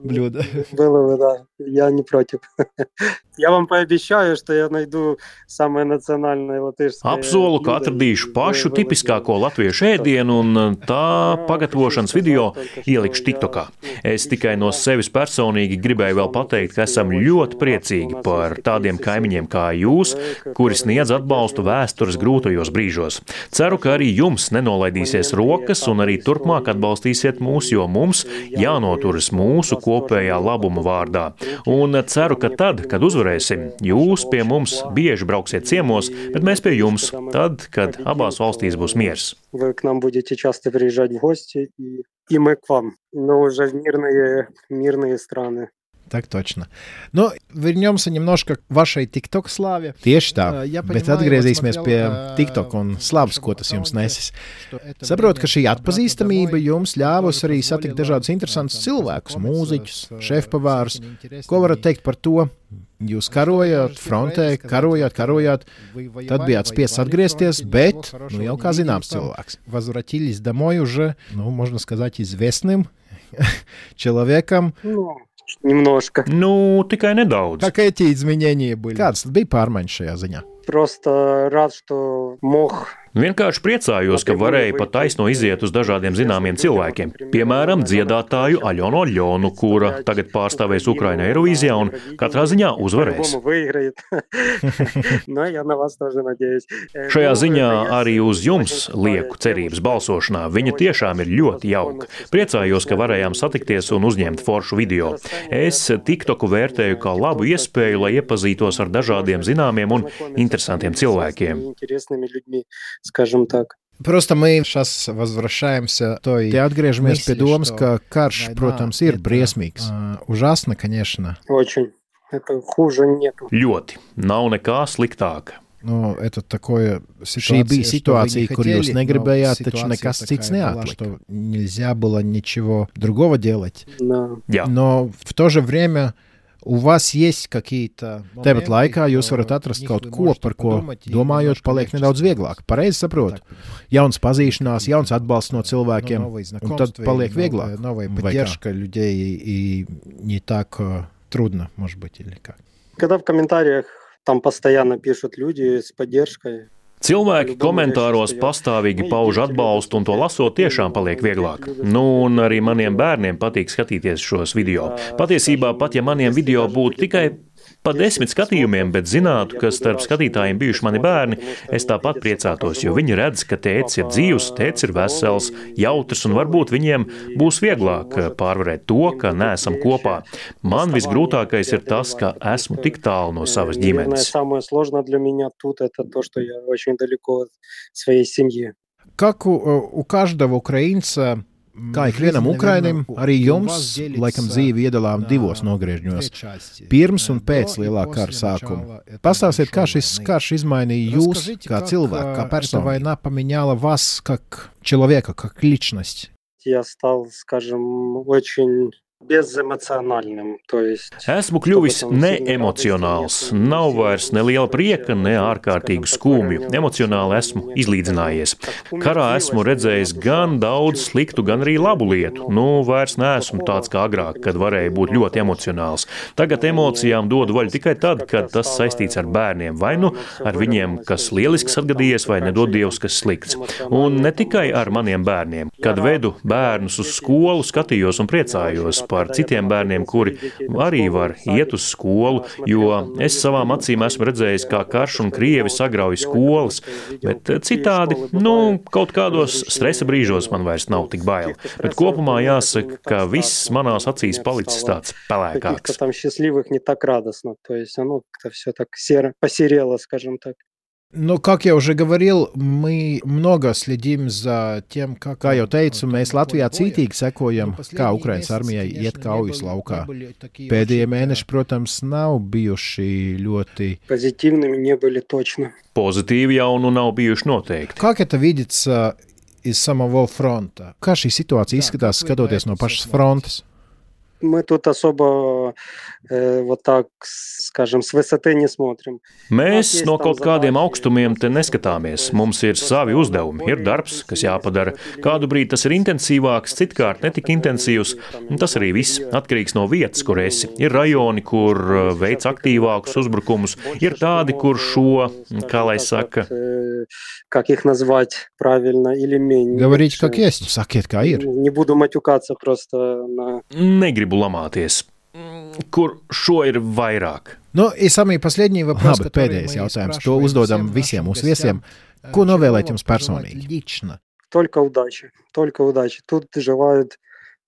блюдо. Было бы, да. Я не против. Я вам пообещаю, что я найду самое национальное латышское. Apsolu, ka atradīšu pašu tipiskāko latviešu ēdienu un tā pagatavošanas video ielikšu TikTokā. Es tikai no sevis personīgi gribēju vēl pateikt, ka esam ļoti priecīgi par tādiem kaimiņiem kā jūs, kuri sniedz atbalstu vēstures grūtajos brīžos. Ceru, ka arī jums nenolaidīsies rokas un arī turpmāk atbalstīsiet mūs, jo mums jānoturas mūsu kopējā labuma vārdā. Un ceru, ka tad, kad uzvarēsim, jūs pie mums bieži brauksiet ciemos, bet mēs pie jums, tad, kad abās valstīs būs miers. Вы к нам будете часто приезжать в гости, и, и мы к вам, но уже в мирные, мирные страны. Так точно. Nu, вернемся немножко к вашей TikTok slāvе. Tieši tā, bet atgriezīsimies pie TikTok un slavas, ko tas jums nesis. Saprotu, ka šī atpazīstamība jums ļāvusi arī satikt dažādus interesantus cilvēkus, mūziķus, šefpavārus. Ko varat teikt par to? Jūs karojāt frontē, karojāt, karojāt, tad bijāt spiests atgriezties, bet, nu jau kā zināms cilvēks. Возвратились домой уже, ну, можно сказать, известным человеком. Немножко. Nu, tikai nedaudz. Как эти изменения были? Kādas tad bija pārmaiņas šajā ziņā? Просто рад, что мог. Vienkārši priecājos, ka varēja pat taisno iziet uz dažādiem zināmiem cilvēkiem. Piemēram, dziedātāju Aļonu Aļonu, kura tagad pārstāvēs Ukrainu Eirovīzijā un katrā ziņā uzvarēs. Šajā ziņā arī uz jums lieku cerības balsošanā. Viņa tiešām ir ļoti jauka. Priecājos, ka varējām satikties un uzņemt foršu video. Es TikToku vērtēju kā labu iespēju, lai iepazītos ar dažādiem zināmiem un interesantiem cilvēkiem. Скажем так. Просто мы сейчас возвращаемся, то и отгрежаmies pie domas, ka karš, protams, ir briesmīgs. Ужасно, конечно. Очень. Это хуже нету. Ļoti. Nav nekā sliktāka. Nu, это такое, šī bija situācija, kur jūs negribējāt, taču nekas cits неатлika. Нельзя было ничего другого делать. Jā. Но в то же время у вас есть какие-то... Tāpat laikā jūs varat atrast kaut ko, par ko domājot, paliek nedaudz vieglāk. Pareizi saprotu. Jauns pazīšanās, jauns atbalsts no cilvēkiem, un tad paliek vieglāk. Поддержка людей и не так трудно, может быть, или как. Когда в комментариях там постоянно пишут люди с поддержкой. Cilvēki komentāros pastāvīgi pauž atbalstu, un to lasot tiešām paliek vieglāk. Nu, un arī maniem bērniem patīk skatīties šos video. Patiesībā, pat ja maniem video būtu tikai pa desmit skatījumiem, bet zinātu, ka starp skatītājiem bijuši mani bērni, es tāpat priecātos, jo viņi redz, ka tētis ir dzīvs, tētis ir vesels, jautrs, un varbūt viņiem būs vieglāk pārvarēt to, ka neesam kopā. Man visgrūtākais ir tas, ka esmu tik tālu no savas ģimenes. Как у, у каждого украинца, kā ikvienam Ukrainim, arī jums, laikam, dzīvi iedalām divos nogriežņos – pirms un pēc lielā kara sākuma. Pastāstiet, kā šis karš izmainīja jūs kā cilvēku, kā personu? Война поменяла вас как человека, как личность? Я стал, скажем, очень безэмоциональным, то есть... Esmu kļuvis neemocionāls. Nav vairs ne liela prieka, ne ārkārtīgu skumju. Emocionāli esmu izlīdzinājies. Karā esmu redzējis gan daudz sliktu, gan arī labu lietu. Nu, vairs neesmu tāds kā agrāk, kad varēja būt ļoti emocionāls. Tagad emocijām dodu vaļu tikai tad, kad tas saistīts ar bērniem. Vai nu ar viņiem, kas lielisks atgadījies, vai nedod Dievs, kas slikts. Un ne tikai ar maniem bērniem. Kad vedu bērnus uz skolu, skatījos un priecājos par citiem bērniem, kuri arī var iet uz skolu, jo es savām acīm esmu redzējis, kā karš un Krievi sagrauj skolas, bet citādi, nu, kaut kādos stresa brīžos man vairs nav tik bail. Bet kopumā jāsaka, ka viss manās acīs palicis tāds pelēkāks. Там счастливых не так радостно, то есть оно как-то все так серо, посерело, скажем так. Nu, как я уже говорил, мы много следим за тем, как, kā jau teicu, mēs Latvijā cītīgi sekojam, kā Ukrainas armijai iet kaujas laukā. Pēdējie mēneši, protams, nav bijuši ļoti... Позитивными не были точно. Pozitīvi jau nu nav bijuši noteikti. Как это видится из самого фронта? Kā šī situācija izskatās, skatoties no pašas frontes? Мы тут особо э, вот так, скажем, с высоты не смотрим. Mēs no kaut kādiem augstumiem te neskatāmies. Mums ir savi uzdevumi, ir darbs, kas jāpadara. Kādu brīdi tas ir intensīvāks, citkārt netik intensīvs. Tas arī viss atkarīgs no vietas, kur esi. Ir rajoni, kur veic aktīvākus uzbrukumus. Ir tādi, kur šo, kā lai saka... Как их назвать правильно или менее. Говорите, как есть. Sakiet, kā ir. Не буду матюкаться просто на... Negribu lamāties. Kur šo ir vairāk? Nu, и самый последний вопрос, Labi, pēdējais jautājums. To uzdodam visiem mūsu viesiem. Ko novēlēt jums personīgi? Только удачи, только удачи. Тут желают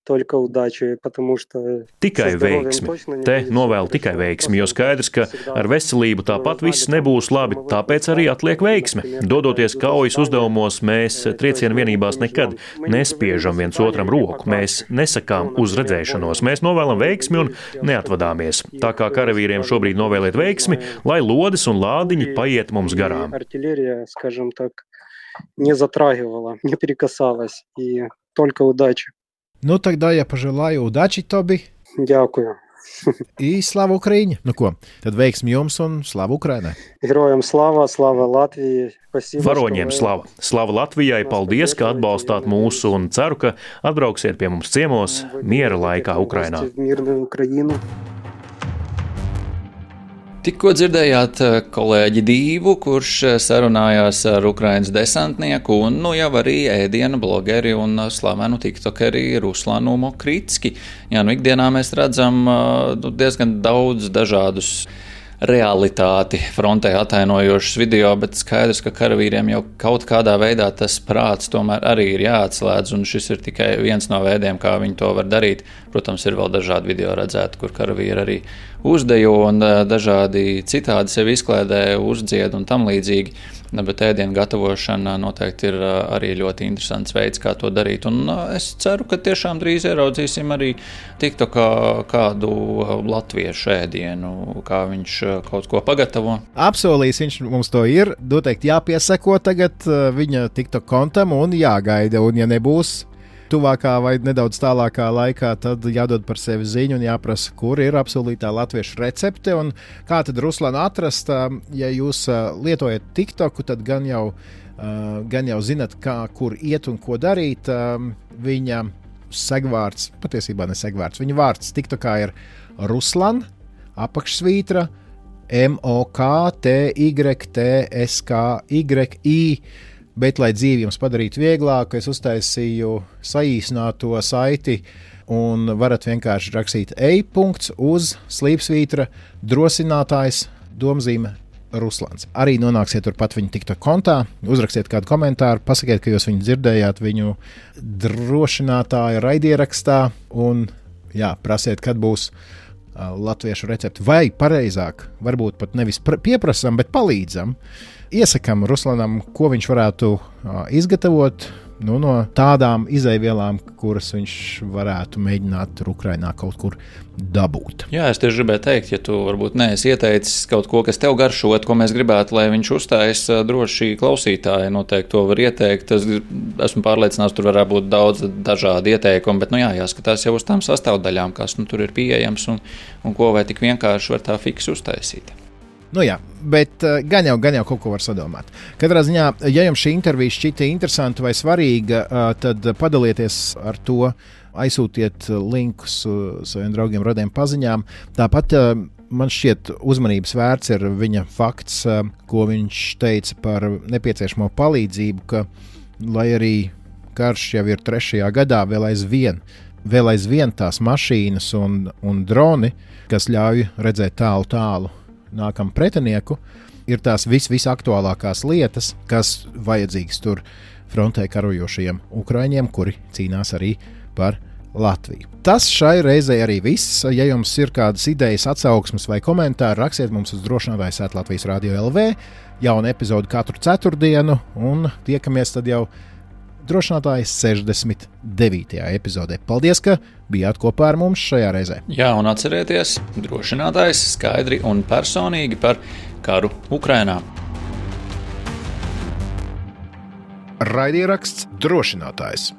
только удачи, потому что... Tikai veiksmi. Te novēlu tikai veiksmi, jo skaidrs, ka ar veselību tāpat viss nebūs labi, tāpēc arī atliek veiksmi. Dodoties kaujas uzdevumos, mēs triecienu vienībās nekad nespiežam viens otram roku, mēs nesakām uz redzēšanos, mēs novēlam veiksmi un neatvadāmies. Tā kā karavīriem šobrīd novēliet veiksmi, lai lodes un lādiņi paiet mums garām. Артиллерия, скажем так, не затрагивала, не прикасалась, и только удачи. Nu, тогда я пожелаю удачи, Тоби. Дякую. И слава Украине. Nu ko, tad veiksmi jums un slava Ukrainai. Героям слава, слава Латвии. Спасибо, Varoņiem slava. Slava Latvijai, paldies, ka atbalstāt mūsu un ceru, ka atbrauksiet pie mums ciemos miera laikā Ukrainā. Tikko dzirdējāt kolēģi Dīvu, kurš sarunājās ar Ukrainas desantnieku un nu jau arī ēdienu blogeri un slavenu tiktokeri Ruslanu Mokritski. Jā, nu ikdienā mēs redzam nu, diezgan daudz dažādus realitāti frontē atainojošus video, bet skaidrs, ka karavīriem jau kaut kādā veidā tas prāts tomēr arī ir jāatslēdz, un šis ir tikai viens no veidiem, kā viņi to var darīt. Protams, ir vēl dažādi video redzēti, kur karavīri arī uzdejo un dažādi citādi sevi izklēdē, uzdzied un tam līdzīgi, bet ēdienu gatavošana noteikti ir arī ļoti interesants veids, kā to darīt, un es ceru, ka tiešām drīz ieraudzīsim arī TikTokā kādu latviešu ēdienu, kā viņš kaut ko pagatavo. Apsolījis viņš mums to ir, noteikti jāpieseko tagad viņa TikTok kontam un jāgaida, un ja nebūs tuvākā vai nedaudz tālākā laikā, tad jādod par sevi ziņu un jāprasa, kur ir apsolītā latviešu recepte un kā tad Ruslanu atrast. Ja jūs lietojat TikToku, tad gan jau, gan jau zinat, kā, kur iet un ko darīt. Viņa segvārds, patiesībā ne segvārds, viņa vārds TikTokā ir Ruslan, apakšsvītra, M O K T Y T S K Y I. Bet, lai dzīvi jums padarītu vieglāku, es uztaisīju saīsināto saiti un varat vienkārši rakstīt e-punkts uz slīpsvītra drosinātājs domzīme Ruslans. Arī nonāksiet turpat viņa TikTok kontā, uzrakstiet kādu komentāru, pasakiet, ka jūs viņu dzirdējāt viņu drošinātāja raidierakstā un jā, prasiet, kad būs uh, latviešu recepti. Vai pareizāk, varbūt pat nevis pieprasam, bet palīdzam. Iesakām Ruslanam, ko viņš varētu uh, izgatavot nu, no tādām izejvielām, kuras viņš varētu mēģināt tur Ukrainā kaut kur dabūt. Jā, es tieši gribēju teikt, ja tu varbūt neesi ieteicis kaut ko, kas tev garšot, ko mēs gribētu, lai viņš uzstājas, droši klausītāji noteikti to var ieteikt. Es esmu pārliecināts, tur varētu būt daudz dažādi ieteikumi, bet nu jā, jāskatās jau uz tām sastāvdaļām, kas nu, tur ir pieejams un, un ko vai tik vienkārši var tā fiksi uztaisīt. Nu jā, bet uh, gan jau, gan jau kaut ko var sadomāt. Katrā ziņā, ja jums šī intervija šķita interesanta vai svarīga, uh, tad padalieties ar to, aizsūtiet linkus uh, saviem draugiem, radiem paziņām. Tāpat uh, man šķiet uzmanības vērts ir viņa fakts, uh, ko viņš teica par nepieciešamo palīdzību, ka, lai arī karš jau ir trešajā gadā, vēl aizvien, vēl aizvien tās mašīnas un, un droni, kas ļauj redzēt tālu tālu nākam pretinieku, ir tās vis, visaktuālākās lietas, kas vajadzīgas tur frontē karojošajiem ukraiņiem, kuri cīnās arī par Latviju. Tas šai reizei arī viss. Ja jums ir kādas idejas, atsauksmes vai komentāri, rakstiet mums uz drošinātājs at Latvijas Radio L V. Jauna epizode katru ceturtdienu un tiekamies tad jau drošinātājs sešdesmit devītajā epizodē. Paldies, ka bijāt kopā ar mums šajā reizē. Jā, un atcerieties, drošinātājs skaidri un personīgi par karu Ukrainā. Raidieraksts drošinātājs.